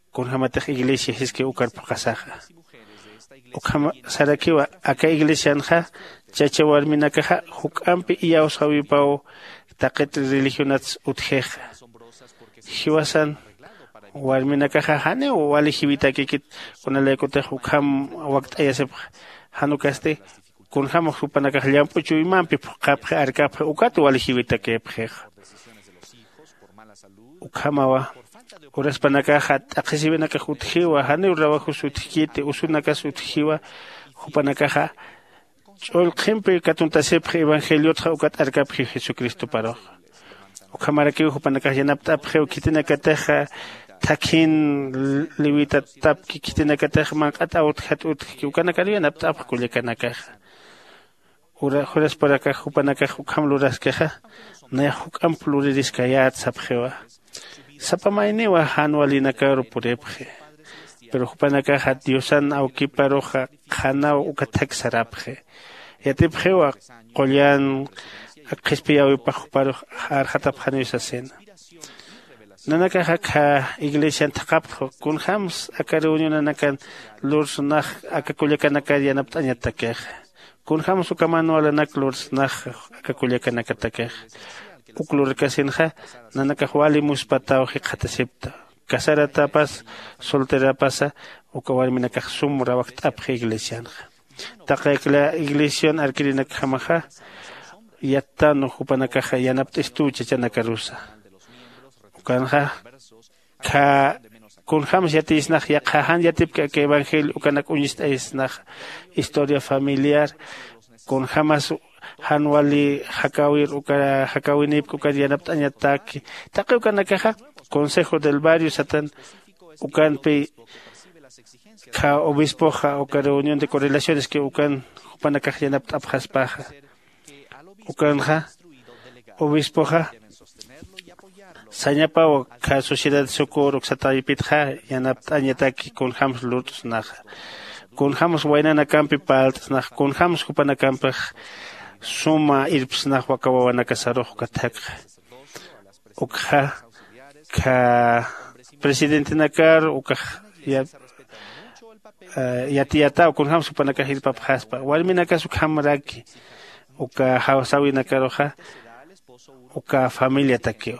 Kunjämatix iglesia jiski ukar phuqhasaxa ukham sarakiwa aka iglesianxa chacha warminakaxa juk'ampi iyawsäwipaw taqit religionats utjixa. Jiwasan warminakaxa janiw wali jiwitakikit kunalaykutix ukham wakt'ayasipxa. Jan ukasti kunjämax jupanakax llamp'u chuymampi phuqhapxi arkapxi ukat wali jiwitakipxixa. Ukhamawa uraspanakaxa t'aqhisiwinakax utjiwa janiw rawajus utjkiti usunakas utjiwa jupanakaxa ch'ullqhimpi katuntasipxi evangeliotxa ukat arkapxi jesucristoparuxa. Ukhamarakiw jupanakax yanapt'apxiw khitinakatixa thakhin liwitatapki khitinakatix manq'at awtjat utjki ukanakar yanapt'apx kullakanakaxa. Jurasparakax jupanakax ukham luraskixa nayax juk'amp luririskayät sapxiwa. Sapa mayniwa jan walinakaru puripxi pero jupanakaxa diosan awkiparuxa qhanaw uka thak sarapxi. Yatipxiwa qullan qhispiyäwipax juparux arxatapxaniw sasina. Nanakax akha iglesian thaqhapxwa kunjämsa aka reunionanakan lursnax aka kullakanakar yanapt'añatakix. Kunjämsa uka manualanak lursnax aka kullakanakatakix. Uk lurkasinxa nanakax wali muspataw jikxatasipta. Casaratapas solterapasa uka warminakax sum rawakt'apxi iglesianxa. Taqi akla iglesian arkirinakjamaxa yattan jupanakaxa yanapt'istuw chachanakarusa. Ukanxa kha kunjämsa yatiyisnax yaqha jan yatipki aka evangelio ukanak uñist'ayisnax historia familiar kunjämas jan wali jakäwir uka jakäwinïpki ukar yanapt'añataki. Taqi ukanakaxa consejo del barrio satan, ukanpi kha obispoxa uka reunión de correlaciones que ukan jupanakax yanapt'apxaspaxa. Ukanxa obispoxa sañapaw kha sociedad de socorro uksataypitxa yanapt'añataki kunjämsa lurt'snaxa, kunjämsa waynanakampi parlt'snaxa, kunjämsa jupanakampix suma irpsnax waka wawanakasarux uka thakxa. Ukxa kha presidentenakar ukax ya- yatiyataw kunjämsa jupanakax irpapxaspa warminakas ukhamraki uka jawsäwinakaruxa uka familiatakiw.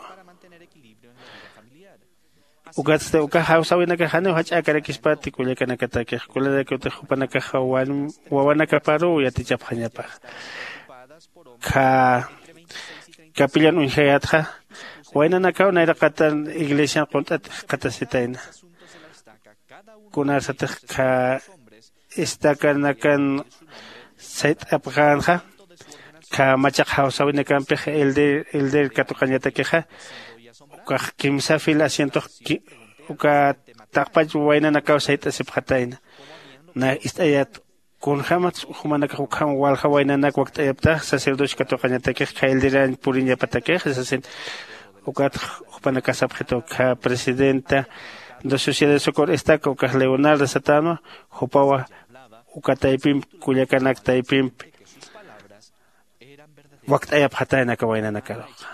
Ukatsti uka jawsäwinakax janiw jach'äkarakispati kullakanakatakix kullarakiwtix jupanakaxa wawanakaparuw yatichapxañapaxa. Kha capillan uñjayätxa waynanakaw nayraqatan iglesian qunt'at jikxatasitayna. Kunarsatix kha estakanakan sayt'apxänxa kha machaq jawsäwinakampix elder katuqañatakixa ukax kimsa fila asientox uka taqpach waynanakaw sayt'asipxatayna. Na ist'ayät kunjämats jumanakax ukham walja waynanak wakt'ayaptax sacerdocio katuqañatakix kha elderañ puriñapatakix sasin. Ukat jupanakasapxitu kha presidenta de sociedad de socorro estaca ukax leonarda satänwa jupawa uka taypimpi kullakanak taypimpi wakt'ayapxatayna aka waynanakaruxa.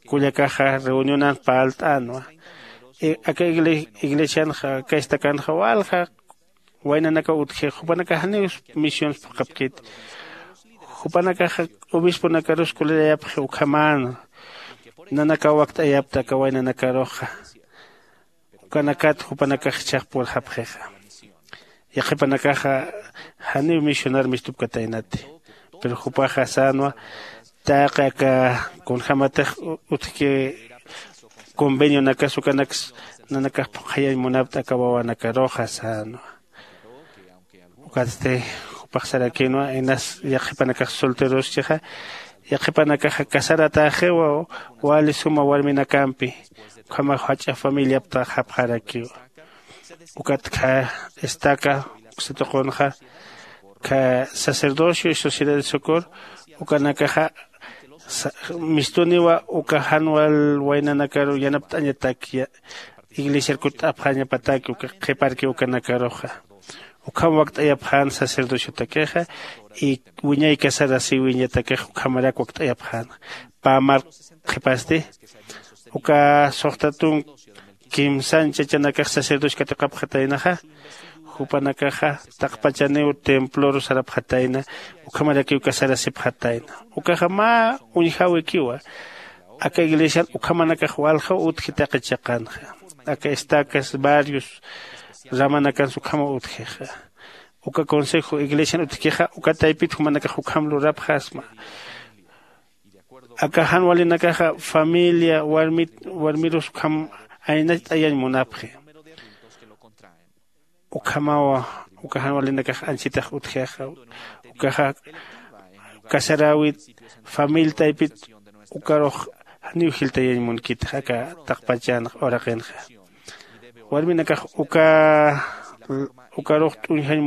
Kullakaxa reunionan parlt'änwa aka iglesianxa aka estacanxa walja waynanakaw utjix jupanakax janiw misions phuqhapkiti. Jupanakaxa obisponakarus kullirayapxi ukhamäna nanakaw wakt'ayapta aka waynanakaruxa. Ukanakat jupanakax jichhax purxapxixa. Yaqhipanakaxa janiw misionar mistupkataynati. Pero jupaxa sänwa taqi aka kunjämatix utjki convenionakas ukanaks nanakax phuqhayañ munapt'a aka wawanakaruxa sänwa. Ukatsti jupax sarakïnwa inas yaqhipanakax solteroschixa yaqhipanakaxa casaratäxiwa wali suma warminakampi ukhamax jach'a familiaptaxapxarakiwa. Ukat kha estaca uksa tuqunxa kha sacerdocio y sociedad de socorro ukanakaxa mistuniwa uka jan wal waynanakaru yanapt'añatak iglesiar kutt'apxañapataki uka qhiparki ukanakaruxa. Ukham wakt'ayapxän sacerdociotakixa y wiñay casarasiwiñatakix ukhamarak wakt'ayapxän. Pä mark qhipasti uka suxta tunk kimsan chachanakax sacerdocio katuqapxataynaxa jupanakaxa taqpachaniw temploru sarapxatayna. Ukhamarakiw casarasipxatayna ukaxa mä uñjäwikiwa. Aka iglesian ukhamanakax waljaw utji taqi chiqanxa aka estacas barrios ramanakansa ukhamaw utjixa. Uka consejo iglesian utjkixa uka taypit jumanakax ukham lurapxasma. Aka jan walinakaxa familia warmit warmirus ukham aynacht'ayañ munapxi. Ukhamawa uka jan walinakax anchitax utjixa ukaxa casaräwit familia taypit ukarux janiw jiltayañ munkitix aka taqpachanx uraqinxa. Warminakax uka ukarux t'uñjañ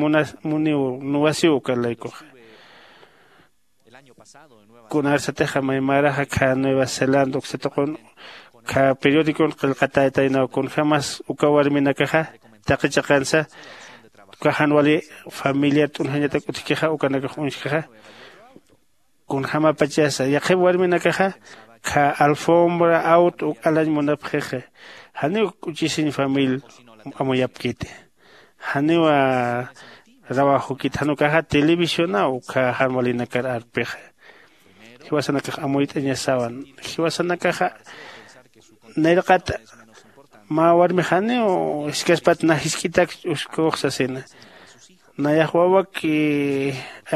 muniw nuwasiw uka laykuxa. Kunarsatixa maymaraxa kha nueva zelanda uksa tuqun kha periodicon qillqatätaynaw kunjämas uka warminakaxa taqi chiqansa uka jan wali familiar t'unjañatak utjkixa ukanakax uñjkixa. Kunjämapachasa yaqhip warminakaxa kha alfombra aut uk alañ munapxixa. Janiw k'uchisiñ famil amuyapkiti. Janiwa rawajukit jan ukaxa televisionaw ukkha jan walinakar arpixa. Jiwasanakax amuyt'añasawan jiwasanakaxa nayraqat mä warmix janiw jiskaspat na jisk'itak uskux sasina. Nayax wawak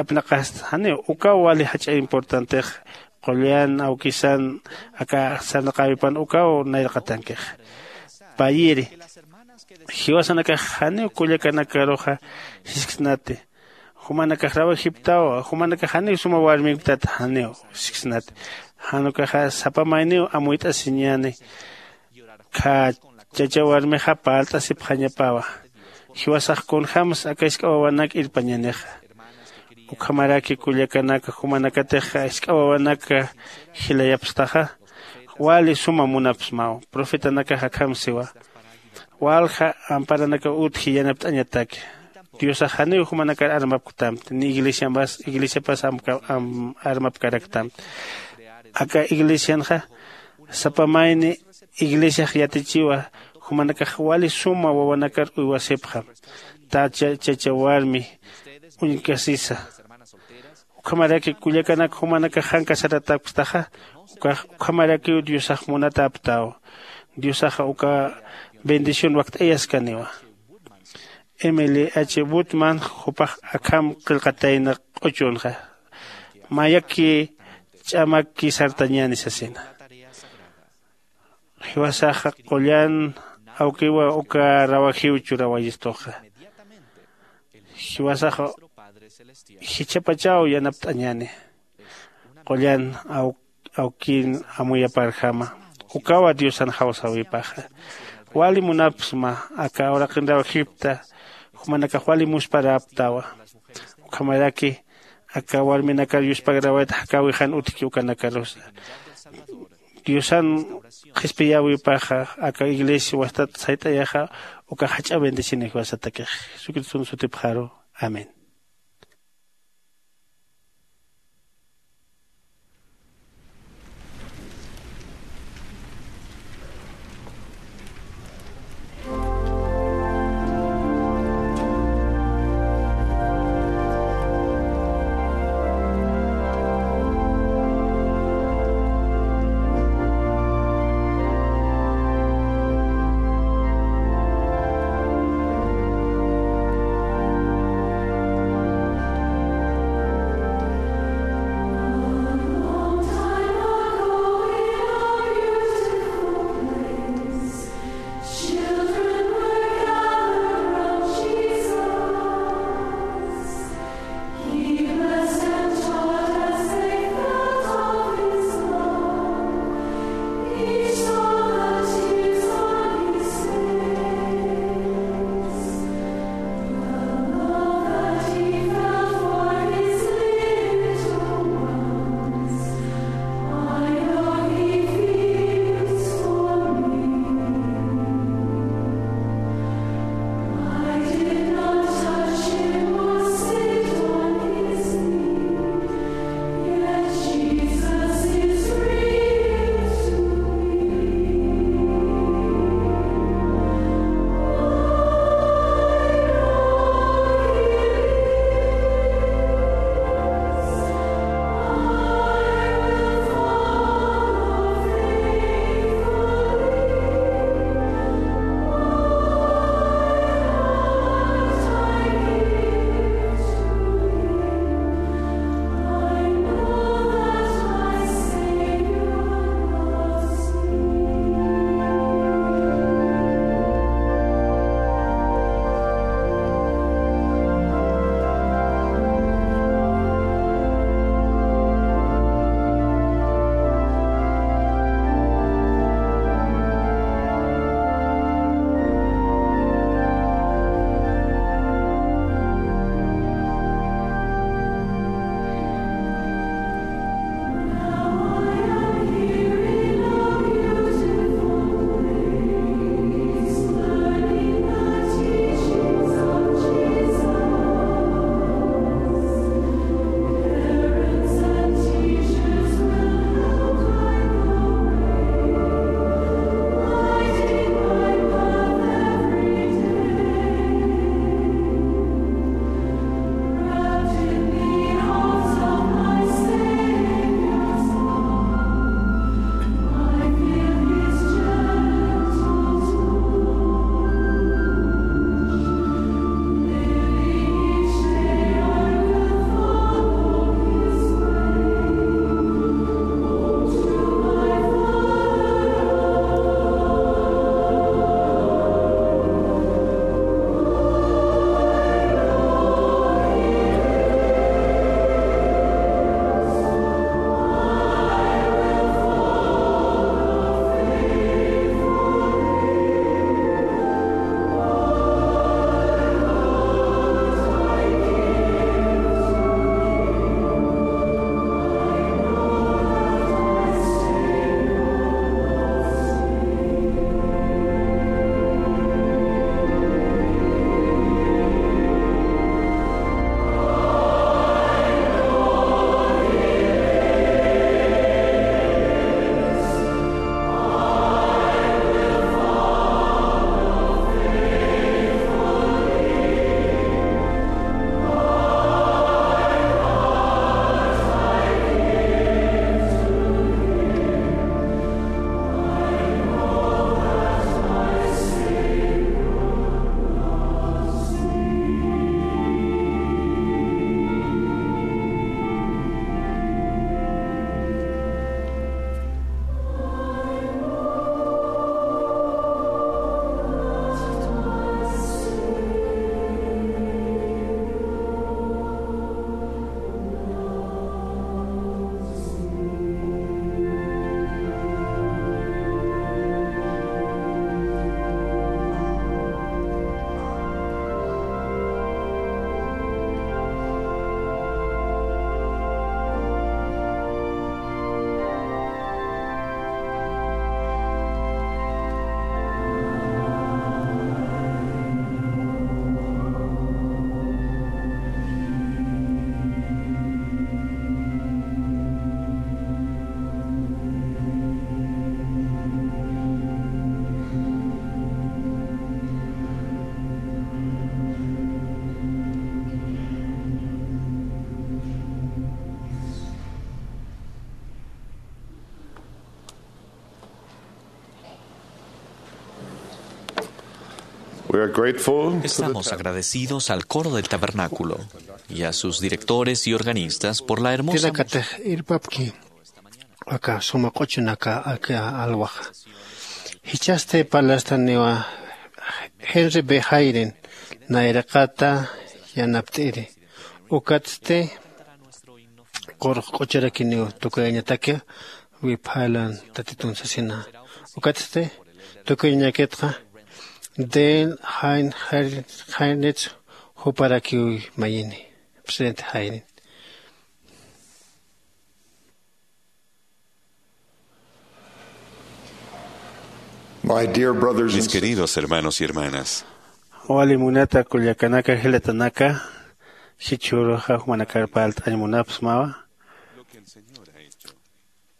apnaqasta janiw ukaw wali jach'a importantex qullan awkisan aka sarnaqäwipan ukaw nayraqatankix. Payiri jiwasanakax janiw kullakanakaruxa jisksnati. Jumanakax rawajiptawa, jumanakax janiw suma warminktat, janiw siksnati. Jan ukaxa sapa mayniw amuyt'asiñäni. Khä chacha warmixa parlt'asipxañapawa. Jiwasax kunjämsa aka jisk'a wawanak irpañänixa. Ukhamaraki kullakanaka, jumanakatixa jisk'a wawanaka jilayapxtaxa, wali suma munapxsmaw. Profetanakax akham siwa: walja amparanakaw utji yanapt'añataki. Diosax janiw jumanakar armapktamti, ni iglesiapas, iglesiapas amka- am- armapkaraktamti. Aka iglesianxa sapa mayni iglesiax yatichiwa, jumanakax wali suma wawanakar uywasipxam, tacha chacha warmi uñkasisa. Ukhamaraki kullakanak, jumanakax jan casaratäpktaxa, ukax ukhamarakiw Diosax munatäpktaw. Diosaxa uka bendición wakt'ayaskaniwa. Emily H Butman jupax akham qillqatayna q'uchunxa, mayaki ch'amaki sartañäni sasina. Jiwasaxa qullan awkiwa uka rawajiw churawayistuxa. Jiwasaxa jichhapachaw yanapt'añäni. Qullan aw- awkin amuyaparjama, ukawa Diosan jawsäwipaxa. Wali munapxsma aka uraqin rawajipkta, jumanakax wali musparäpktawa. Ukhamaraki aka warminakar yuspagrawayta jakäwixan utjki ukanakarusa. Diosan qhispiyäwipaxa aka iglesia wastat sayt'ayaxa, uka jach'a bendicionix jiwasatakix. Jesucriston sutipxaru. Amén. Estamos agradecidos al coro del tabernáculo y a sus directores y organistas por la hermosa... Tinakatix irpapki aka suma q'uchunaka aka alwaxa. Jichhasti parlastaniwa Henry B. Hayden nayraqata yanapt'iri. Ukatsti qurux q'uchurakiniw tukuyañataki wiphalan tatitun sasina. Ukatsti tukuyañakitxa Dale Hain Hainitsu juparakiw mayini. Presidente Hayden. Mis queridos hermanos y hermanas, wali munata kullakanaka jilatanaka, jichhüruxa jumanakar parlt'añ munapxsmawa.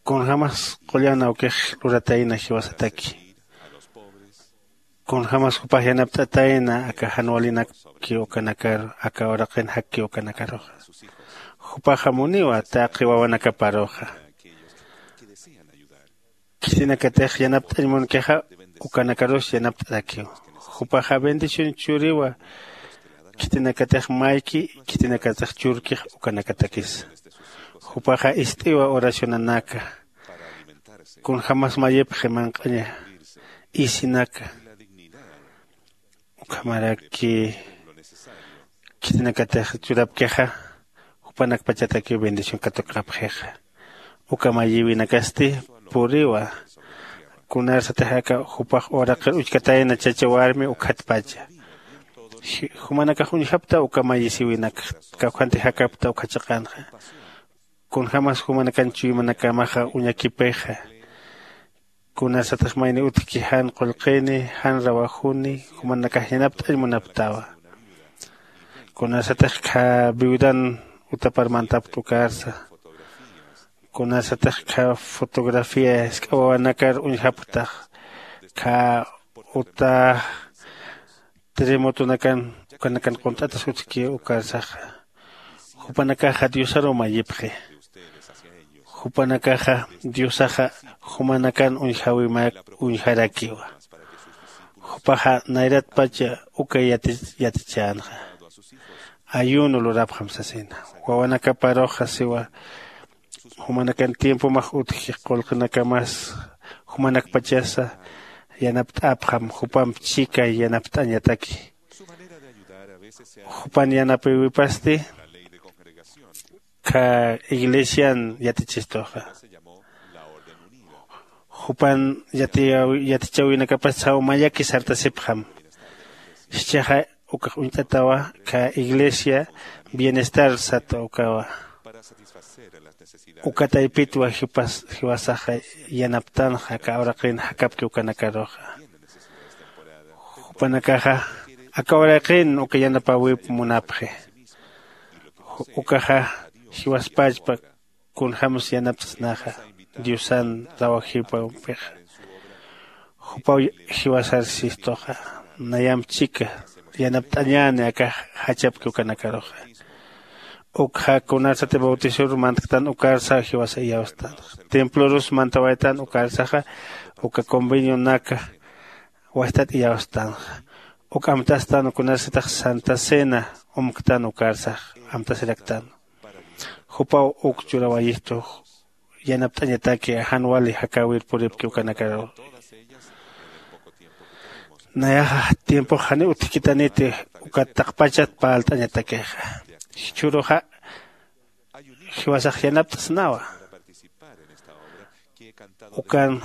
Kunjämas qullan awkix luratayna jiwasataki. Kunjämas jupax yanapt'atayna aka jan walinakki ukanakar, aka uraqin jakki ukanakaruxa. Jupaxa muniwa taqi wawanakaparuxa. Khitinakatix yanapt'añ munkixa ukanakarus yanapt'arakiw. Jupaxa bendición churiwa. Khitinakatix mayki, khitinakatix churkix ukanakatakis. Jupaxa ist'iwa oracionanaka. Kunjämas mayipxi manq'aña isinaka. Ukhamaraki khitinakatix churapkixa jupanakpachatakiw bendición katuqapxixa. Uka mayiwinakasti puriwa. Kunarsatix aka jupax uraqir uchkatayna chacha warmi ukhatpacha. Jumanakax uñjapta uka mayisiwinak kawkhanti jakapta ukha chiqanxa. Kunjämas jumanakan chuymanakamaxa uñakipixa. Kunarsatix mayni utjki jan qullqini, jan rawajuni jumanakax yanapt'añ munaptawa. Kunarsatix kha viudan utapar mantapta ukarsa. Kunarsatix kha fotografía jisk'a wawanakar uñjapktax. Kha uta terremotonakan ukanakan qunt'atas utjki ukarsaxa. Jupanakaxa diosaruw mayipxi. Jupanakaxa diosaxa jumanakan uñjäwimak uñjarakiwa. Jupaxa nayratpacha uka yatichänxa. Ayuno lurapxam sasina. Wawanakaparuxa siwa jumanakan tiempomax utji qullqinakamas jumanakpachasa yanapt'apxam jupamp chika yanapt'añataki. Jupan yanapiwipasti kha iglesian yatichistuxa. Jupan yatichäwinakapas saw mayaki sartasipxam. Jichhaxa ukax uñt'atawa kha iglesia bienestar sat ukawa. Uka taypitwa jiwasaxa yanaptanxa aka uraqin jakapki ukanakaruxa. Jupanakaxa aka uraqin uka yanapäwip munapxi. Ukaxa jiwaspachpa kunjämsa yanapt'snaxa diosan rawajipampixa. Jupaw jiwasar sistuxa nayamp chika yanapt'añäni aka jachapki ukanakaruxa. Ukxa kunarsati bautisor mantktan ukarsa jiwasa iyawstan. Templorus mantawaytan ukarsaxa uka convenionaka wastat iyawstanxa. Uk amtastan kunarsatix santa cena umktan ukarsax amtasiraktan. Jupaw uk churawayistu yanapt'añataki jan wali jakäwir puripki ukanakaru. Nayaxa tiempox janiw utjkitaniti ukat taqpachat parlt'añatakixa. Jichhüruxa jiwasax yanapt'snawa. Ukan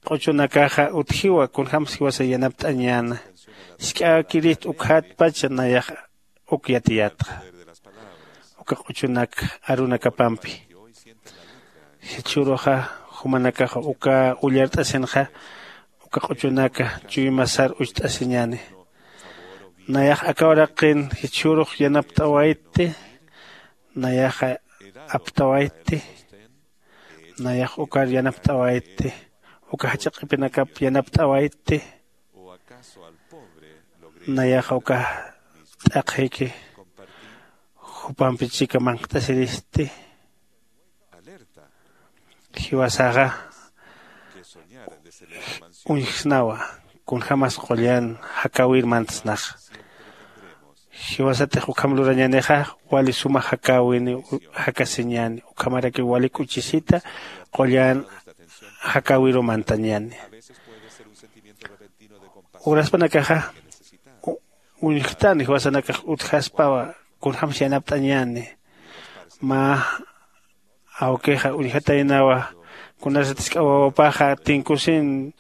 q'uchunakaxa utjiwa kunjämsa jiwasa yanapt'añäna. Jisk'äkirist ukkhatpacha nayaxa uk yatiyätxa. Uka q'uchunak arunakapampi. Jichhüruxa jumanakaxa uka ullart'asinxa uka q'uchunaka chuymasar ucht'asiñäni. Nayax aka uraqin jichhürux yanapt'awaytti. Nayaxa aptawaytti. Nayax ukar yanapt'awaytti. Uka jach'a q'ipinakap yanapt'awaytti. Nayaxa uka t'aqhiki jupampi chika manq't'asiristi. Jiwasaxa uñjsnawa. kunjämas qullan jakäwir mantsnaxa. Jiwasatix ukham lurañänixa wali suma jakäwini jakasiñäni. Ukhamarakiw wali k'uchisita qullan jakäwiru mantañäni. Uraspanakaxa uñjtani jiwasanakax utjaspawa kunjämsa yanapt'añäni. Mä awkixa uñjataynawa kunasat jisk'a wawapaxa tinkusin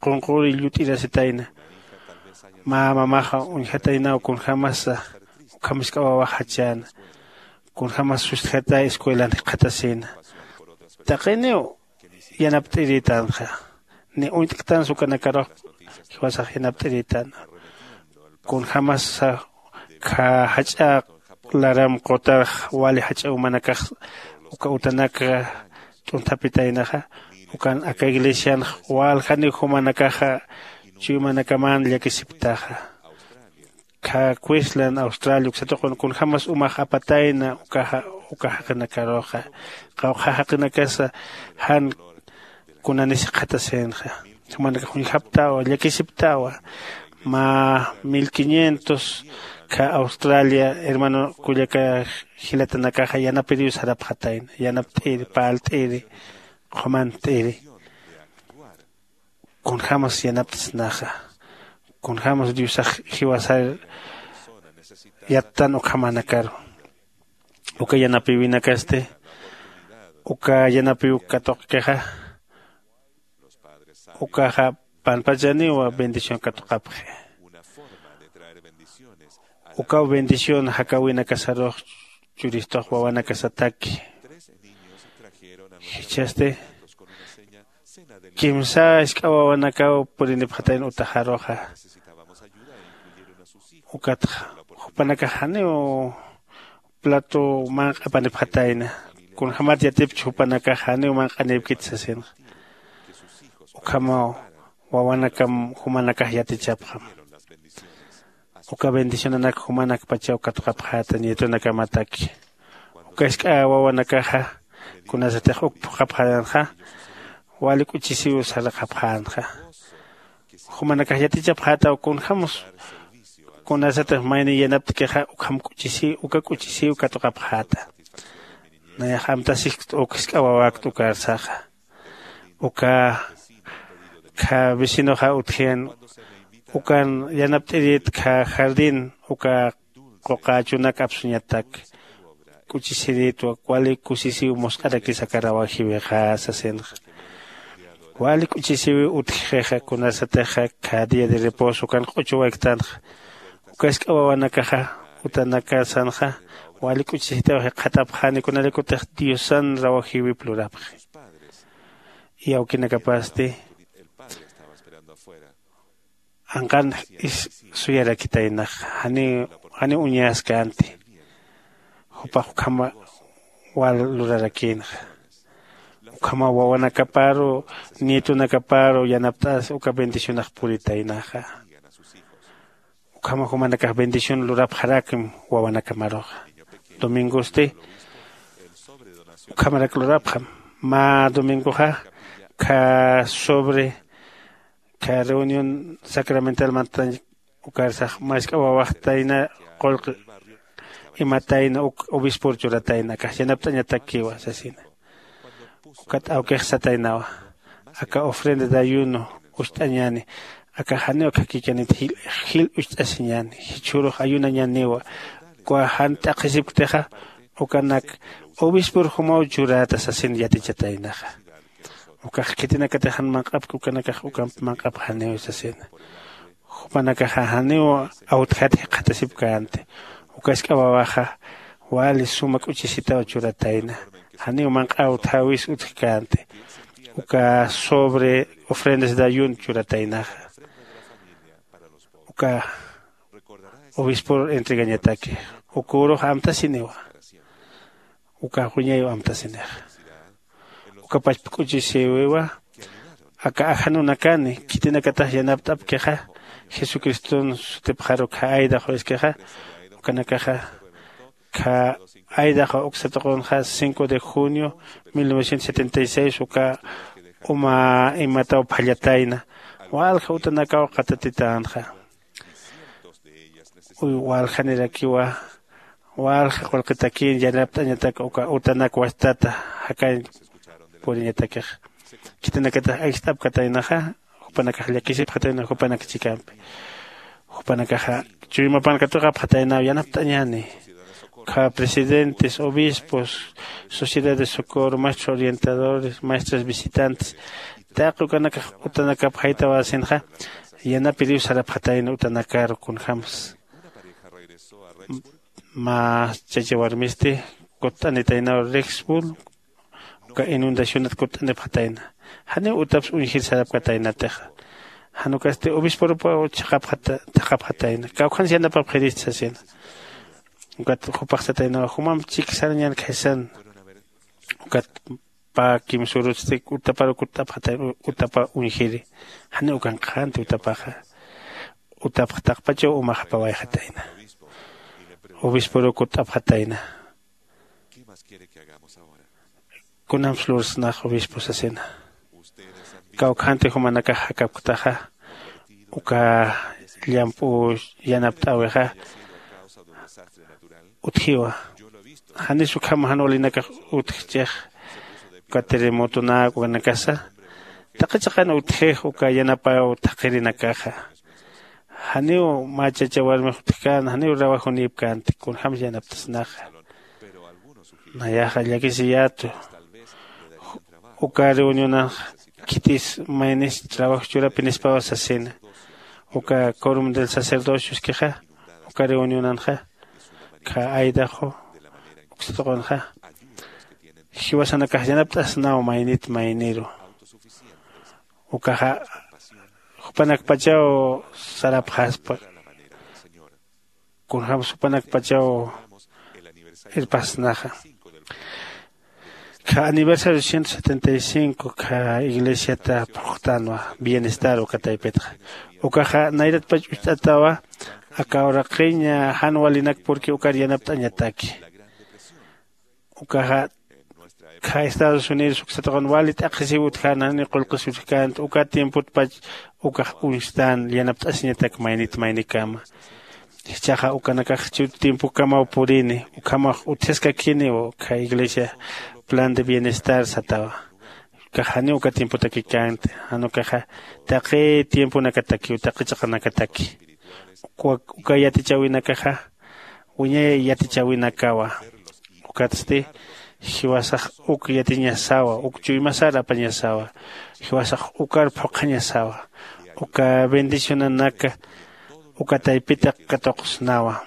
qunqüri llut'irasitayna. Mä mamaxa uñjataynaw kunjämasa ukham jisk'a wawax jachäna kunjämas sustjatay escuelan jikxatasïna. Taqiniw yanapt'irïtänxa ni uñt'ktansa ukanakarux jiwasax yanapt'irïtänwa. Kunjämasa jach'a laram qutarx wali jach'a jumanakax uka utanak t'unthapitaynaxa ukan aka iglesianx waljaniw jumanakaxa chuymanakaman llakisipktaxa. Kha queensland australia uksatuqun kunjämas umax apatayna uka jaqinakaruxa qawqha jaqinakasa jan kunanis jikxatasïnxa. Jumanakax uñjapktawa llakisipktawa. Mä mil quinientos kha australia hermano kullaka jilatanakaxa yanapiriw sarapxatayna yanapt'iri parlt'iri qhumant'iri. Kunjämas yanapt'snaxa kunjämas diosax jiwasar yattan ukhamanakaru. Uka yanapiwinakasti uka yanapiw katuqkixa ukaxa panpachaniwa bendición katuqapxi. Ukaw bendición jakäwinakasarux churistux wawanakasataki. Jichhasti kimsa jisk'a wawanakaw purinipxatayna utaxaruxa. Ukatxa jupanakax janiw plato manq'apanipxatayna kunjämat yatipchi jupanakax janiw manq'anïpkiti sasinxa. Ukhamaw wawanakam jumanakax yatichapxam. Uka bendicionanak jumanakpachaw katuqapxäta nietonakamataki. Uka jisk'a wawanakaxa kunasatix uk phuqhapxänxa wali k'uchisiw saraqapxänxa. Jumanakax yatichapxätaw kunjämsa kunasatix mayniy yanapt'kixa ukham k'uchisiw uka k'uchisiw katuqapxäta. Nayax amtasiskt uk jisk'a wawakt ukarsaxa. Uka kha vecinoxa utjian ukan yanapt'irit kha jardín uka quqächunak apsuñatak k'uchisiritwa wali kusisiw musq'arakis aka rawajiwixa sasinxa. Wali k'uchisiwiw utjxixa kunasatixa kha día de reposo ukan q'uchuwayktanxa. Uka jisk'a wawanakaxa utanakasanxa wali k'uchisitaw jikxatapxani kunarakutix diosan rawajiwip lurapxi. Iyawkinakapasti anqan is suyarakitaynax janiw janiw uñaskänti. Jupax ukhama wal lurarakïnxa. Ukhama wawanakaparu nietonakaparu yanapt'as uka bendicionax puritaynaxa. Ukhama jumanakax bendición lurapxarakim wawanakamaruxa. Domingosti ukhamarak lurapxam. Mä domingoxa kha sobre kha reunión sacramental mantañ ukarsax mask'a wawaxtayna qullqi imatayna uk obispor churatayna akax yanapt'añatakiwa sasina. Ukat awkix sataynawa aka ofrenda de ayuno ucht'añäni. Akax janiw akhakikanit jil ucht'asiñäni jichhürux ayunañäniwa. Uka jan t'aqhisipktixa ukanak obispor jumaw churäta sasin yatichataynaxa. Ukax khitinakatix jan manq'apki ukanakax ukamp manq'apxaniw sasina. Jupanakaxa janiw awtjat jikxatasipkänti. Uka jisk'a wawaxa wali suma k'uchisitaw churatayna. Janiw manq'aw thawis utjkänti. Uka sobre ofrendas de ayun churataynaxa. Uka obispor entregañataki. Ukürux amtasiniwa. Uka wiñayiw amtasinixa. Uka pachpa k'uchisiwiwa aka ajanunakani khitinakatax yanapt'apkixa jesucriston sutipxaru kha aydaxu iskixa. Ukanakaxa kha aydaxu uksatuqunxa cinco de junio mil novecientos setenta y seis uka uma imataw phallatayna. Walja utanakaw qatatitänxa. Uy waljanirakiwa. Walja qullqitakin yanapt'añatak uka utanak wastata jakañ puriñatakix. Khitinakatix ayjt'apkataynaxa. Jupanakax llakisipxatayna jupanak chikampi. Jupanakaxa chuymapan katuqapxataynaw yanapt'añäni. Ukha presidentes, obispos, sociedad de socorro, maestros orientadores, maestras visitantes, taqi ukanakax utanakapxaytawasinxa. Yanapiriw sarapxatayna utanakaru kunjämsa. Mä chacha warmisti kutt'anitaynaw Rexburg. Uka inundacionat kutt'anipxatayna. Janiw utaps uñjir sarapkataynatixa. Jan ukasti obisporupaw chhaqapxata thaqhapxatayna kawkhans yanapapxirista sasina. Ukat jupax sataynawa jumamp chik sarañän khaysan. Ukat pä kimsurutsti utaparu kutt'apxatayna. Utapa uñjiri. Janiw ukan qhanti utapaxa. Utapx taqpachaw umax apawayxatayna. Obisporuw kutt'apxatayna. Kunamps lursnax obispo sasina. Kawkhanti jumanakax jakapktaxa. Uka llamp'u yanapt'äwixa utjiwa. Janis ukham jan walinakax utjchix. Uka terremotonak ukanakasa taqi chiqan utjix uka yanapaw thaqhirinakaxa. Janiw mä chacha warmix utjkän janiw rawajunïpkänti kunjämsa yanaptasnaxa. Nayaxa llakisiyätu. Uka reunionanxa khitis maynis trabajo churapinispawa sasina. Uka corum del sacerdocioskixa uka reunionanxa kha aydaxu uksatuqunxa jiwasanakax yanapt'asnaw maynit mayniru. Ukaxa jupanakpachaw sarapxaspa. Kunjämsa jupanakpachaw irpasnaxa. Kha aniversario ciento setenta y cinco kha iglesiata phuqtänwa bienestar uka taypitxa. Ukaxa nayratpach ucht'atawa. Aka uraqiñ jan walinak purki ukar yanapt'añataki. Ukaxa kha estados unidos uksataqun wali t'aqhisiw utjän janiw qullqis utjkänti uka tiempotpach ukax uñstän yanapt'asiñatak maynit maynikama. Jichhaxa ukanakax chur tiempokamaw purini ukhamax utjaskakiniw kha iglesia plan de bienestar satawa. Ukax janiw uka tiempotakikänti jan ukaxa taqi tiemponakatakiw taqi chiqanakataki. Uka yatichäwinakaxa wiñay yatichäwinakawa. Ukatsti jiwasax uk yatiñasawa uk chuymasar apañasawa. Jiwasax ukar phuqhañasawa. Uka bendicionanaka uka taypita katuqsnawa.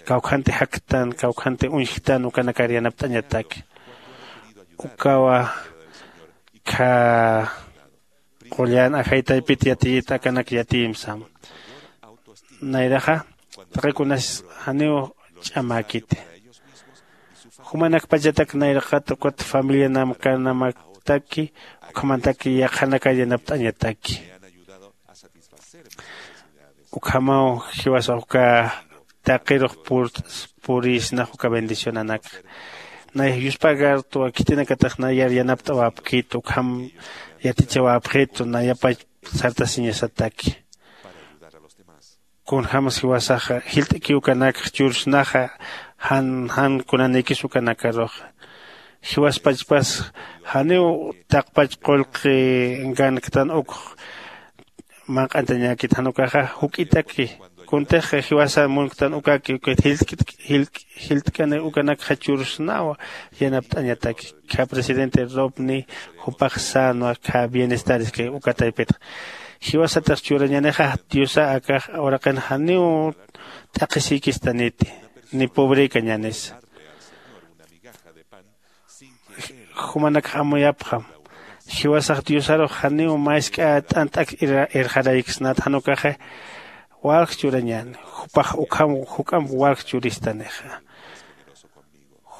Kawkhanti jaktan kawkhanti uñjktan ukanakar yanapt'añataki. Ukawa kha qullan ajay taypit yatiyit akanak yatiyim sam. Nayraxa taqi kunas janiw ch'amäkiti. Jumanakpachatak nayraqat ukat familianamkanamaktaki ukhamantak yaqhanakar yanapt'añataki. Ukhamaw jiwasax uka taqirux purïsnax uka bendicionanakxa. Nay yuspagartwa khitinakatax nayar yanapt'awäpkit ukham yatichawäpxitu nayapach sartasiñasataki. Kunjämas jiwasaxa jilt'kiw ukanakx chursnaxa jan jan kunanikis ukanakaruxa. Jiwaspachpas janiw taqpach qullqi ganktan ukx manq'antañäkit jan ukaxa juk'itaki. Kuntix jiwasa munktan ukaki ukit jilt'k'ani ukanakxa chursnawa yanapt'añataki. Kha presidente robni jupax sänwa kha bienestar iskay uka taypitxa. Jiwasatix churañänixa diosa akax uraqin janiw t'aqhisïkistaniti ni pobrekañänisa. Jumanakx amuyapxam. Jiwasax diosarux janiw mä isk'a t'ant'ak irxarayksnat jan ukaxa walj churañäni. Jupax ukham juk'amp walj churistanixa.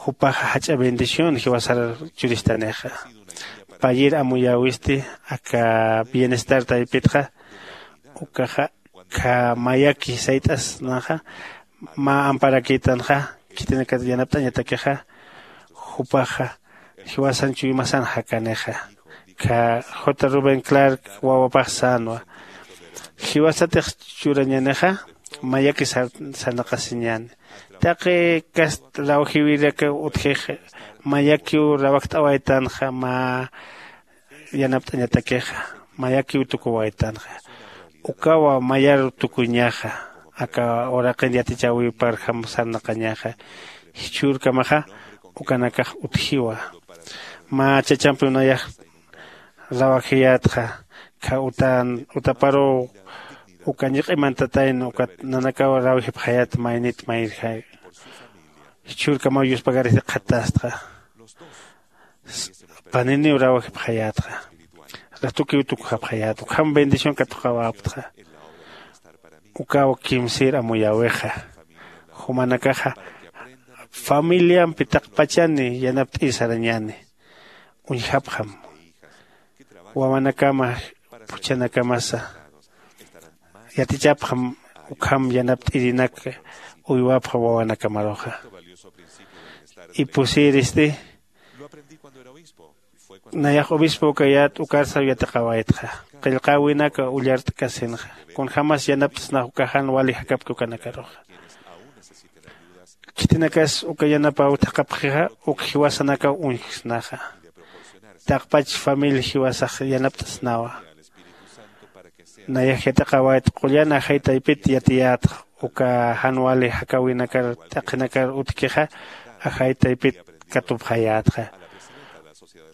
Jupaxa jach'a bendición jiwasar churistanixa. Payir amuyäwisti aka bienestar taypitxa. Ukaxa kha mayaki sayt'asnaxa mä amparakïtanxa khitinakat yanapt'añatakixa. Jupaxa jiwasan chuymasan jakanixa. Kha j rubén clark wawapax sänwa. Jiwasatix churañänixa mayaki sarnaqasiñäni. Taqi kast rawjiwirakaw utjix mayakiw rawakt'awaytanxa mä yanapt'añatakixa, mayakiw tukuwaytanxa. Ukawa mayar tukuñaxa aka uraqin yatichäwiparjam sarnaqañaxa. Jichhürkamaxa ukanakax utjiwa. Mä chachampiw nayax rawajiyätxa. Kha utan utaparuw uka ñiq'imantatayna ukat nanakaw rawjipxayät maynit mayrjay. Jichhürkamaw yuspagaristi qhatästxa. Paniniw rawjipxayätxa. Ratukiw tukjapxayät ukham bendición katuqawäptxa. Ukaw kimsïr amuyäwixa. Jumanakaxa familiampi taqpachani yanapt'ir sarañäni. Uñjapxam wawanakama phuchhanakamasa yatichapxam. Ukham yanapt'irinak uywapxam wawanakamaruxa. Ipusïristi nayax obispo ukayät ukarsaw yatiqawaytxa. Qillqäwinaka ullart'kasinxa kunjämas yanapt'snax uka jan wali jakapki ukanakaruxa. Khitinakas uka yanapäw thaqhapxixa uk jiwasanakaw uñjksnaxa. Taqpach familia jiwasax yanapt'snawa. Nayax yatiqawayt qullan ajay taypit yatiyätxa. Uka jan wali jakäwinakar t'aqhinakar utjkixa ajay taypit katupxayätxa.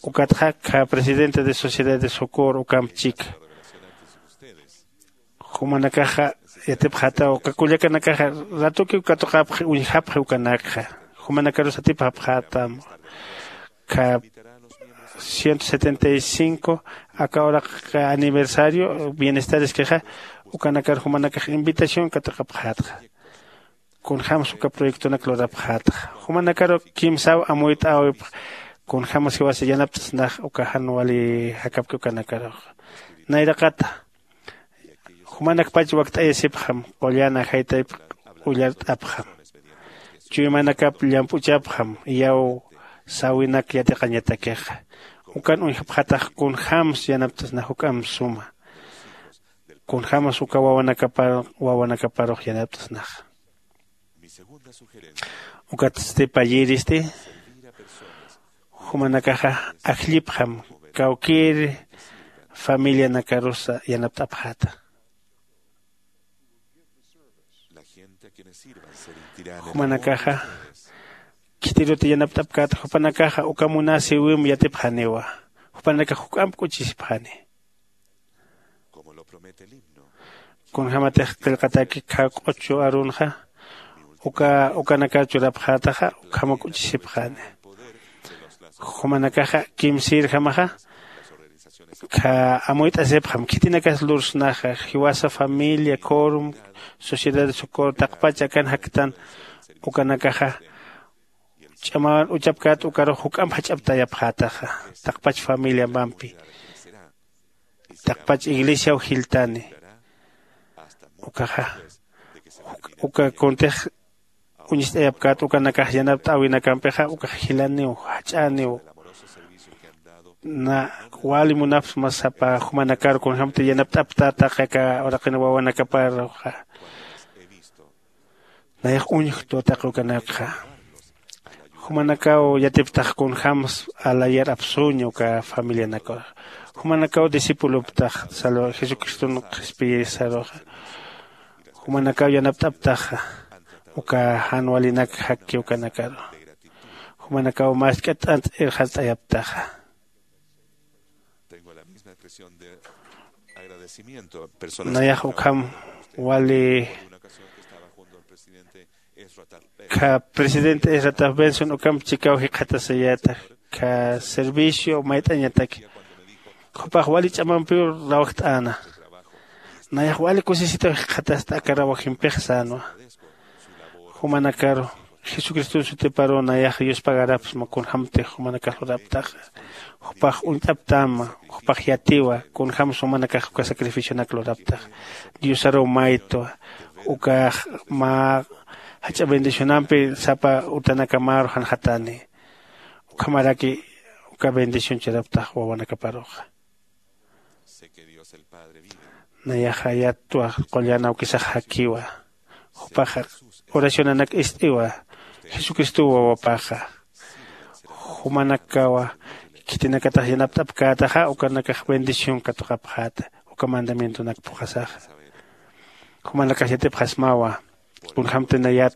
Ukatxa khä presidente de sociedad de socor ukamp chika. Jumanakaxa yatipxätaw uka kullakanakaxa ratukiw katuqapxi uñjapxi ukanakxa. Jumanakarus atipxapxätam. Kha ciento setenta y cinco aka uraq aniversario bienestareskixa ukanakar jumanakax invitación katuqapxätxa. Kunjämsa uka proyectonak lurapxätxa. Jumanakaru kimsaw amuyt'äwipx kunjämsa jiwasa yanapt'snax uka jan wali jakapki ukanakaruxa. Nayraqata jumanakpach wakt'ayasipxam qullan ajaytayp ullart'apxam. Chuymanakap llamp'uchapxam iyaw sawinak yatiqañatakixa. Ukan uñjapxatax kunjämsa yanapt'sna juk'amp suma kunjämsa uka wawanakaparux yanapt'snaxa. Ukatsti payïristi jumanakaxa ajllipxam kawkïr familianakarusa yanapt'apxäta. Jumanakaxa khitiruta yanapt'apkäta jupanakaxa uka munasïwimp yatipxaniwa. Jupanakax juk'amp k'uchisipxani. Kunjämatix qillqataki kha q'uchu arunxa uka ukanakar churapxätaxa ukhama k'uchisipxani. Jumanakaxa kimsïrjamaxa kha amuyt'asipxam khitinakas lursnaxa jiwasa familia corum sociedad de socorro taqpach akan jaktan ukanakaxa ch'amawan uchapkät ukarux juk'amp jach'aptayapxätaxa. Taqpach familiampampi taqpach iglesiaw jiltani. Ukaxa uka kuntix uñist'ayapkät ukanakax yanapt'äwinakampixa ukax jilaniw jach'aniw. Na wali munapxsma sapa jumanakar kunjämti yanapt'aptät taqi aka uraqin wawanakaparuxa. Nayax uñjktwa taqi ukanakxa. Jumanakaw yatiptax kunjämsa alayar apsuña uka familianakaruxa. Jumanakaw discipuloptax salva jesucriston qhispiyisaruxa. Jumanakaw yanapt'aptaxa uka jan walinak jakki ukanakaru. Jumanakaw mask'a t'ant irxart'ayaptaxa. Nayax ukham wali kha presidente esrataf benson ukamp chikaw jikxatasayäta kha servicio mayt'añataki. Jupax wali ch'amampiw rawjt'äna. Nayax wali kusisitaw jikxatasta aka rawajimpix sänwa. Jumanakaru jesucriston sutiparuw nayax yuspagarapxsma kunjämtix jumanakax luraptaxa. Jupax uñt'aptäma. Jupax yatiwa kunjämsa jumanakax uka sacrificionak luraptaxa. Diosaruw maytwa ukax mä jach'a bendicionampi sapa utanakamaru janxatani. Ukhamaraki uka bendición churaptax wawanakaparuxa. Nayaxa yatwa qullan awkisax jakiwa. Jupaxa oracionanak ist'iwa. Jesucristo wawapaxa jumanakawa khitinakatax yanapt'apkätaxa ukanakax bendición katuqapxäta. Uka mandamientonak phuqhasaxa jumanakax yatipxasmawa. Kunjämtinayat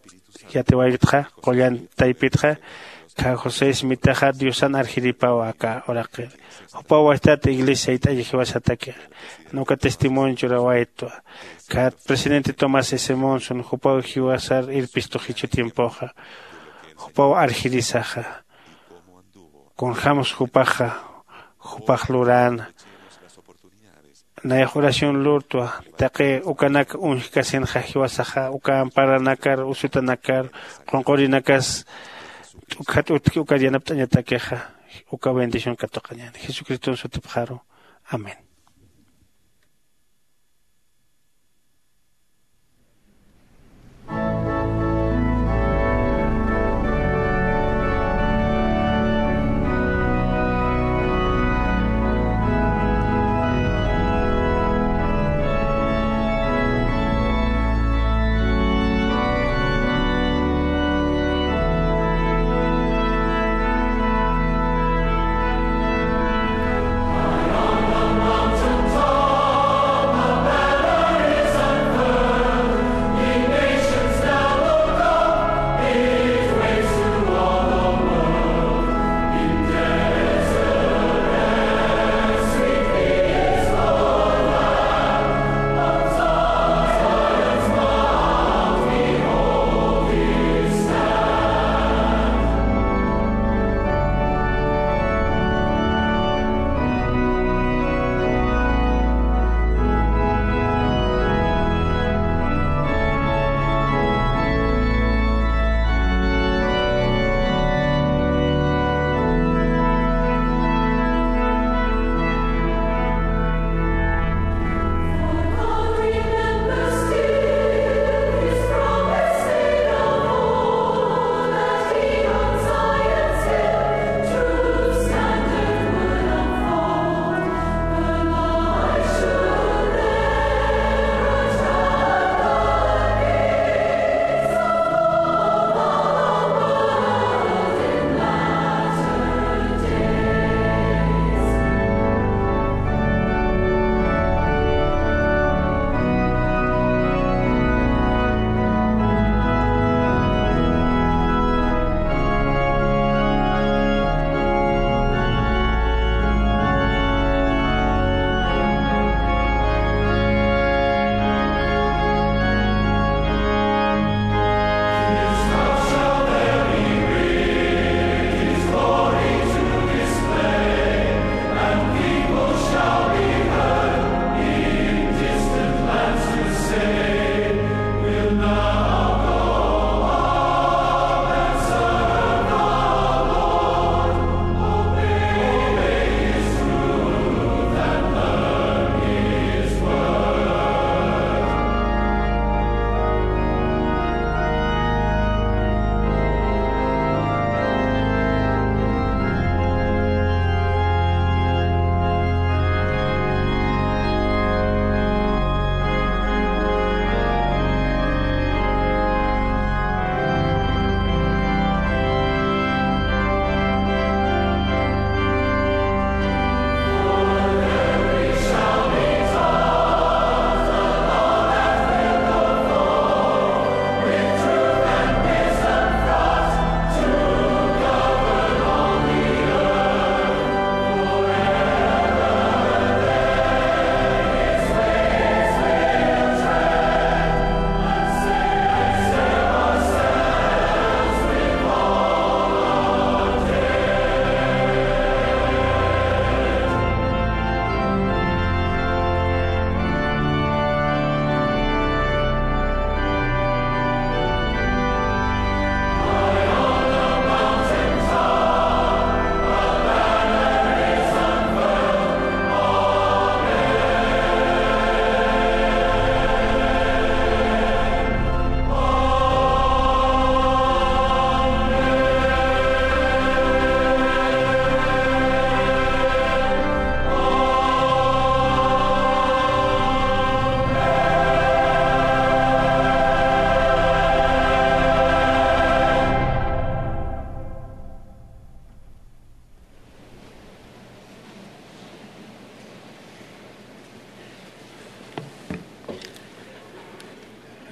yatiwayktxa qullan taypitxa. Kha josé ismitaxa diosan arjiripawa aka uraqir. Jupaw wajtat iglesia sayt'ayi jiwasatakix. Nuka testimonio churawaytwa. Khat presidente tomás s monson jupaw jiwasar irpistu jichhu tiempoxa. Jupaw arjirisaxa. Kunjämsa jupaxa jupax luräna. Nayax oración lurtwa. Taqi ukanak uñjkasinxa jiwasaxa uka amparanakar usutanakar qunqurinakas t'ukjat utki ukar yanapt'añatakixa. Uka bendición katuqañäni jesucriston sutipxaru. Amén.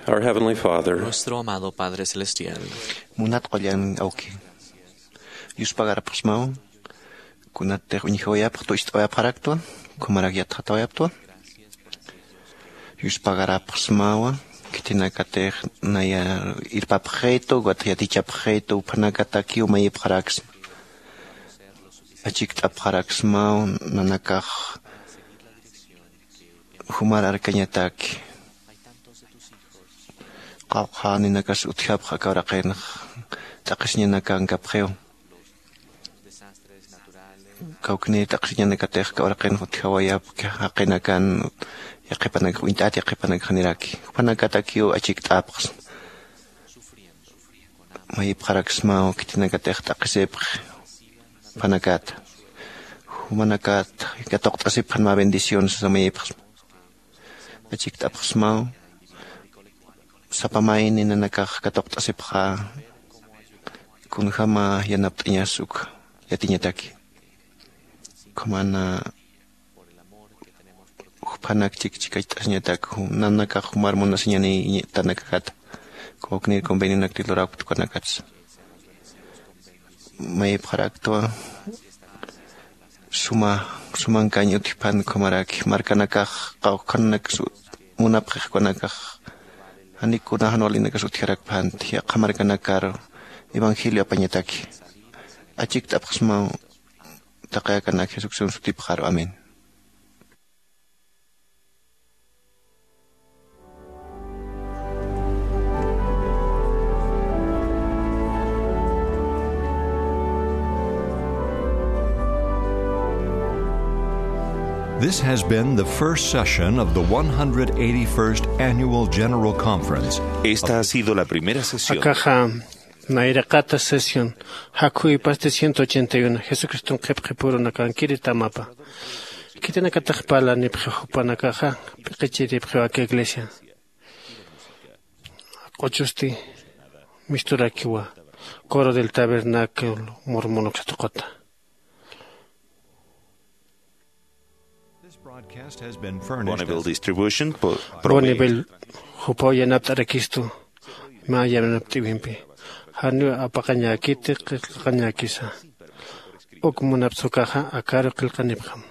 Our Heavenly Father, nuestro amado Padre Celestial, munat q'ollan awki, yuspagarapxsmaw, kunatix uñjawayapx, tucht'awayapxaraktwa, kumarak yatxatawayaptwa. Yuspagarapxsmawa, khitinakatix naya irpapxitu, wat yatichapxitu, juphanakatakiw mayipxaraksma. Achikt'apxaraksmaw, nanakax jumar arkañataki. Qawqha ninakas utjapx aka uraqinx, t'aqhisiñanakankapxiw. Kawkni t'aqhisiñanakatix aka uraqinx utjawayapki, jaqinakan yaqhipanakax, uñt'at yaqhipanakax niraki. Juphanakatakiw achikt'apxsma. Mayipxaraksmaw khitinakatix t'aqhisipxi juphanakata. Jumanakat katuqt'asipxan mä bendición sasa mayipxsma. Achikt'apxsmaw, sapa mayni nanakax katuqt'asipxä, kunjama yanapt'añas uk yatiñataki. Ukhamana juphanak chikchikacht'asiñatak, nanakax jumar munasiñanitanakakata, kawknir convenionakti lurawkta ukanakatsa. Mayipxaraktwa, suma, sumankañ utjpan ukhamaraki, markanakax, qawqhanakax, munapxix ukanakax, janik kuna jan walinakas utjarakphanti, yaqha markanakar evangelio apañataki. Achikt'apxsmaw, taqi akanak Jesucristo sutipxaru. Amén. This has been the first session of the one hundred eighty-first Annual General Conference. Esta ha sido la primera sesión. Akaxa nayraqata sesión, jakhuypasti ciento ochenta y uno, Jesucriston qhipqipurunakankiri tamapa. Khitinakatix parlanipxi jupanakaxa, p'iqichiripxiw aka iglesia. Q'uchusti misturakiwa, coro del tabernáculo mormon uksa tuquta. This broadcast has been furnished. Bonneville as Distribution, po-, Bonneville, jupaw yanapt'arakistu, mä yanapt'iwimpi. Janiw apaqañäkiti, qillqañäkisa. Uk munapxi ukaxa, akaru qillqanipxam.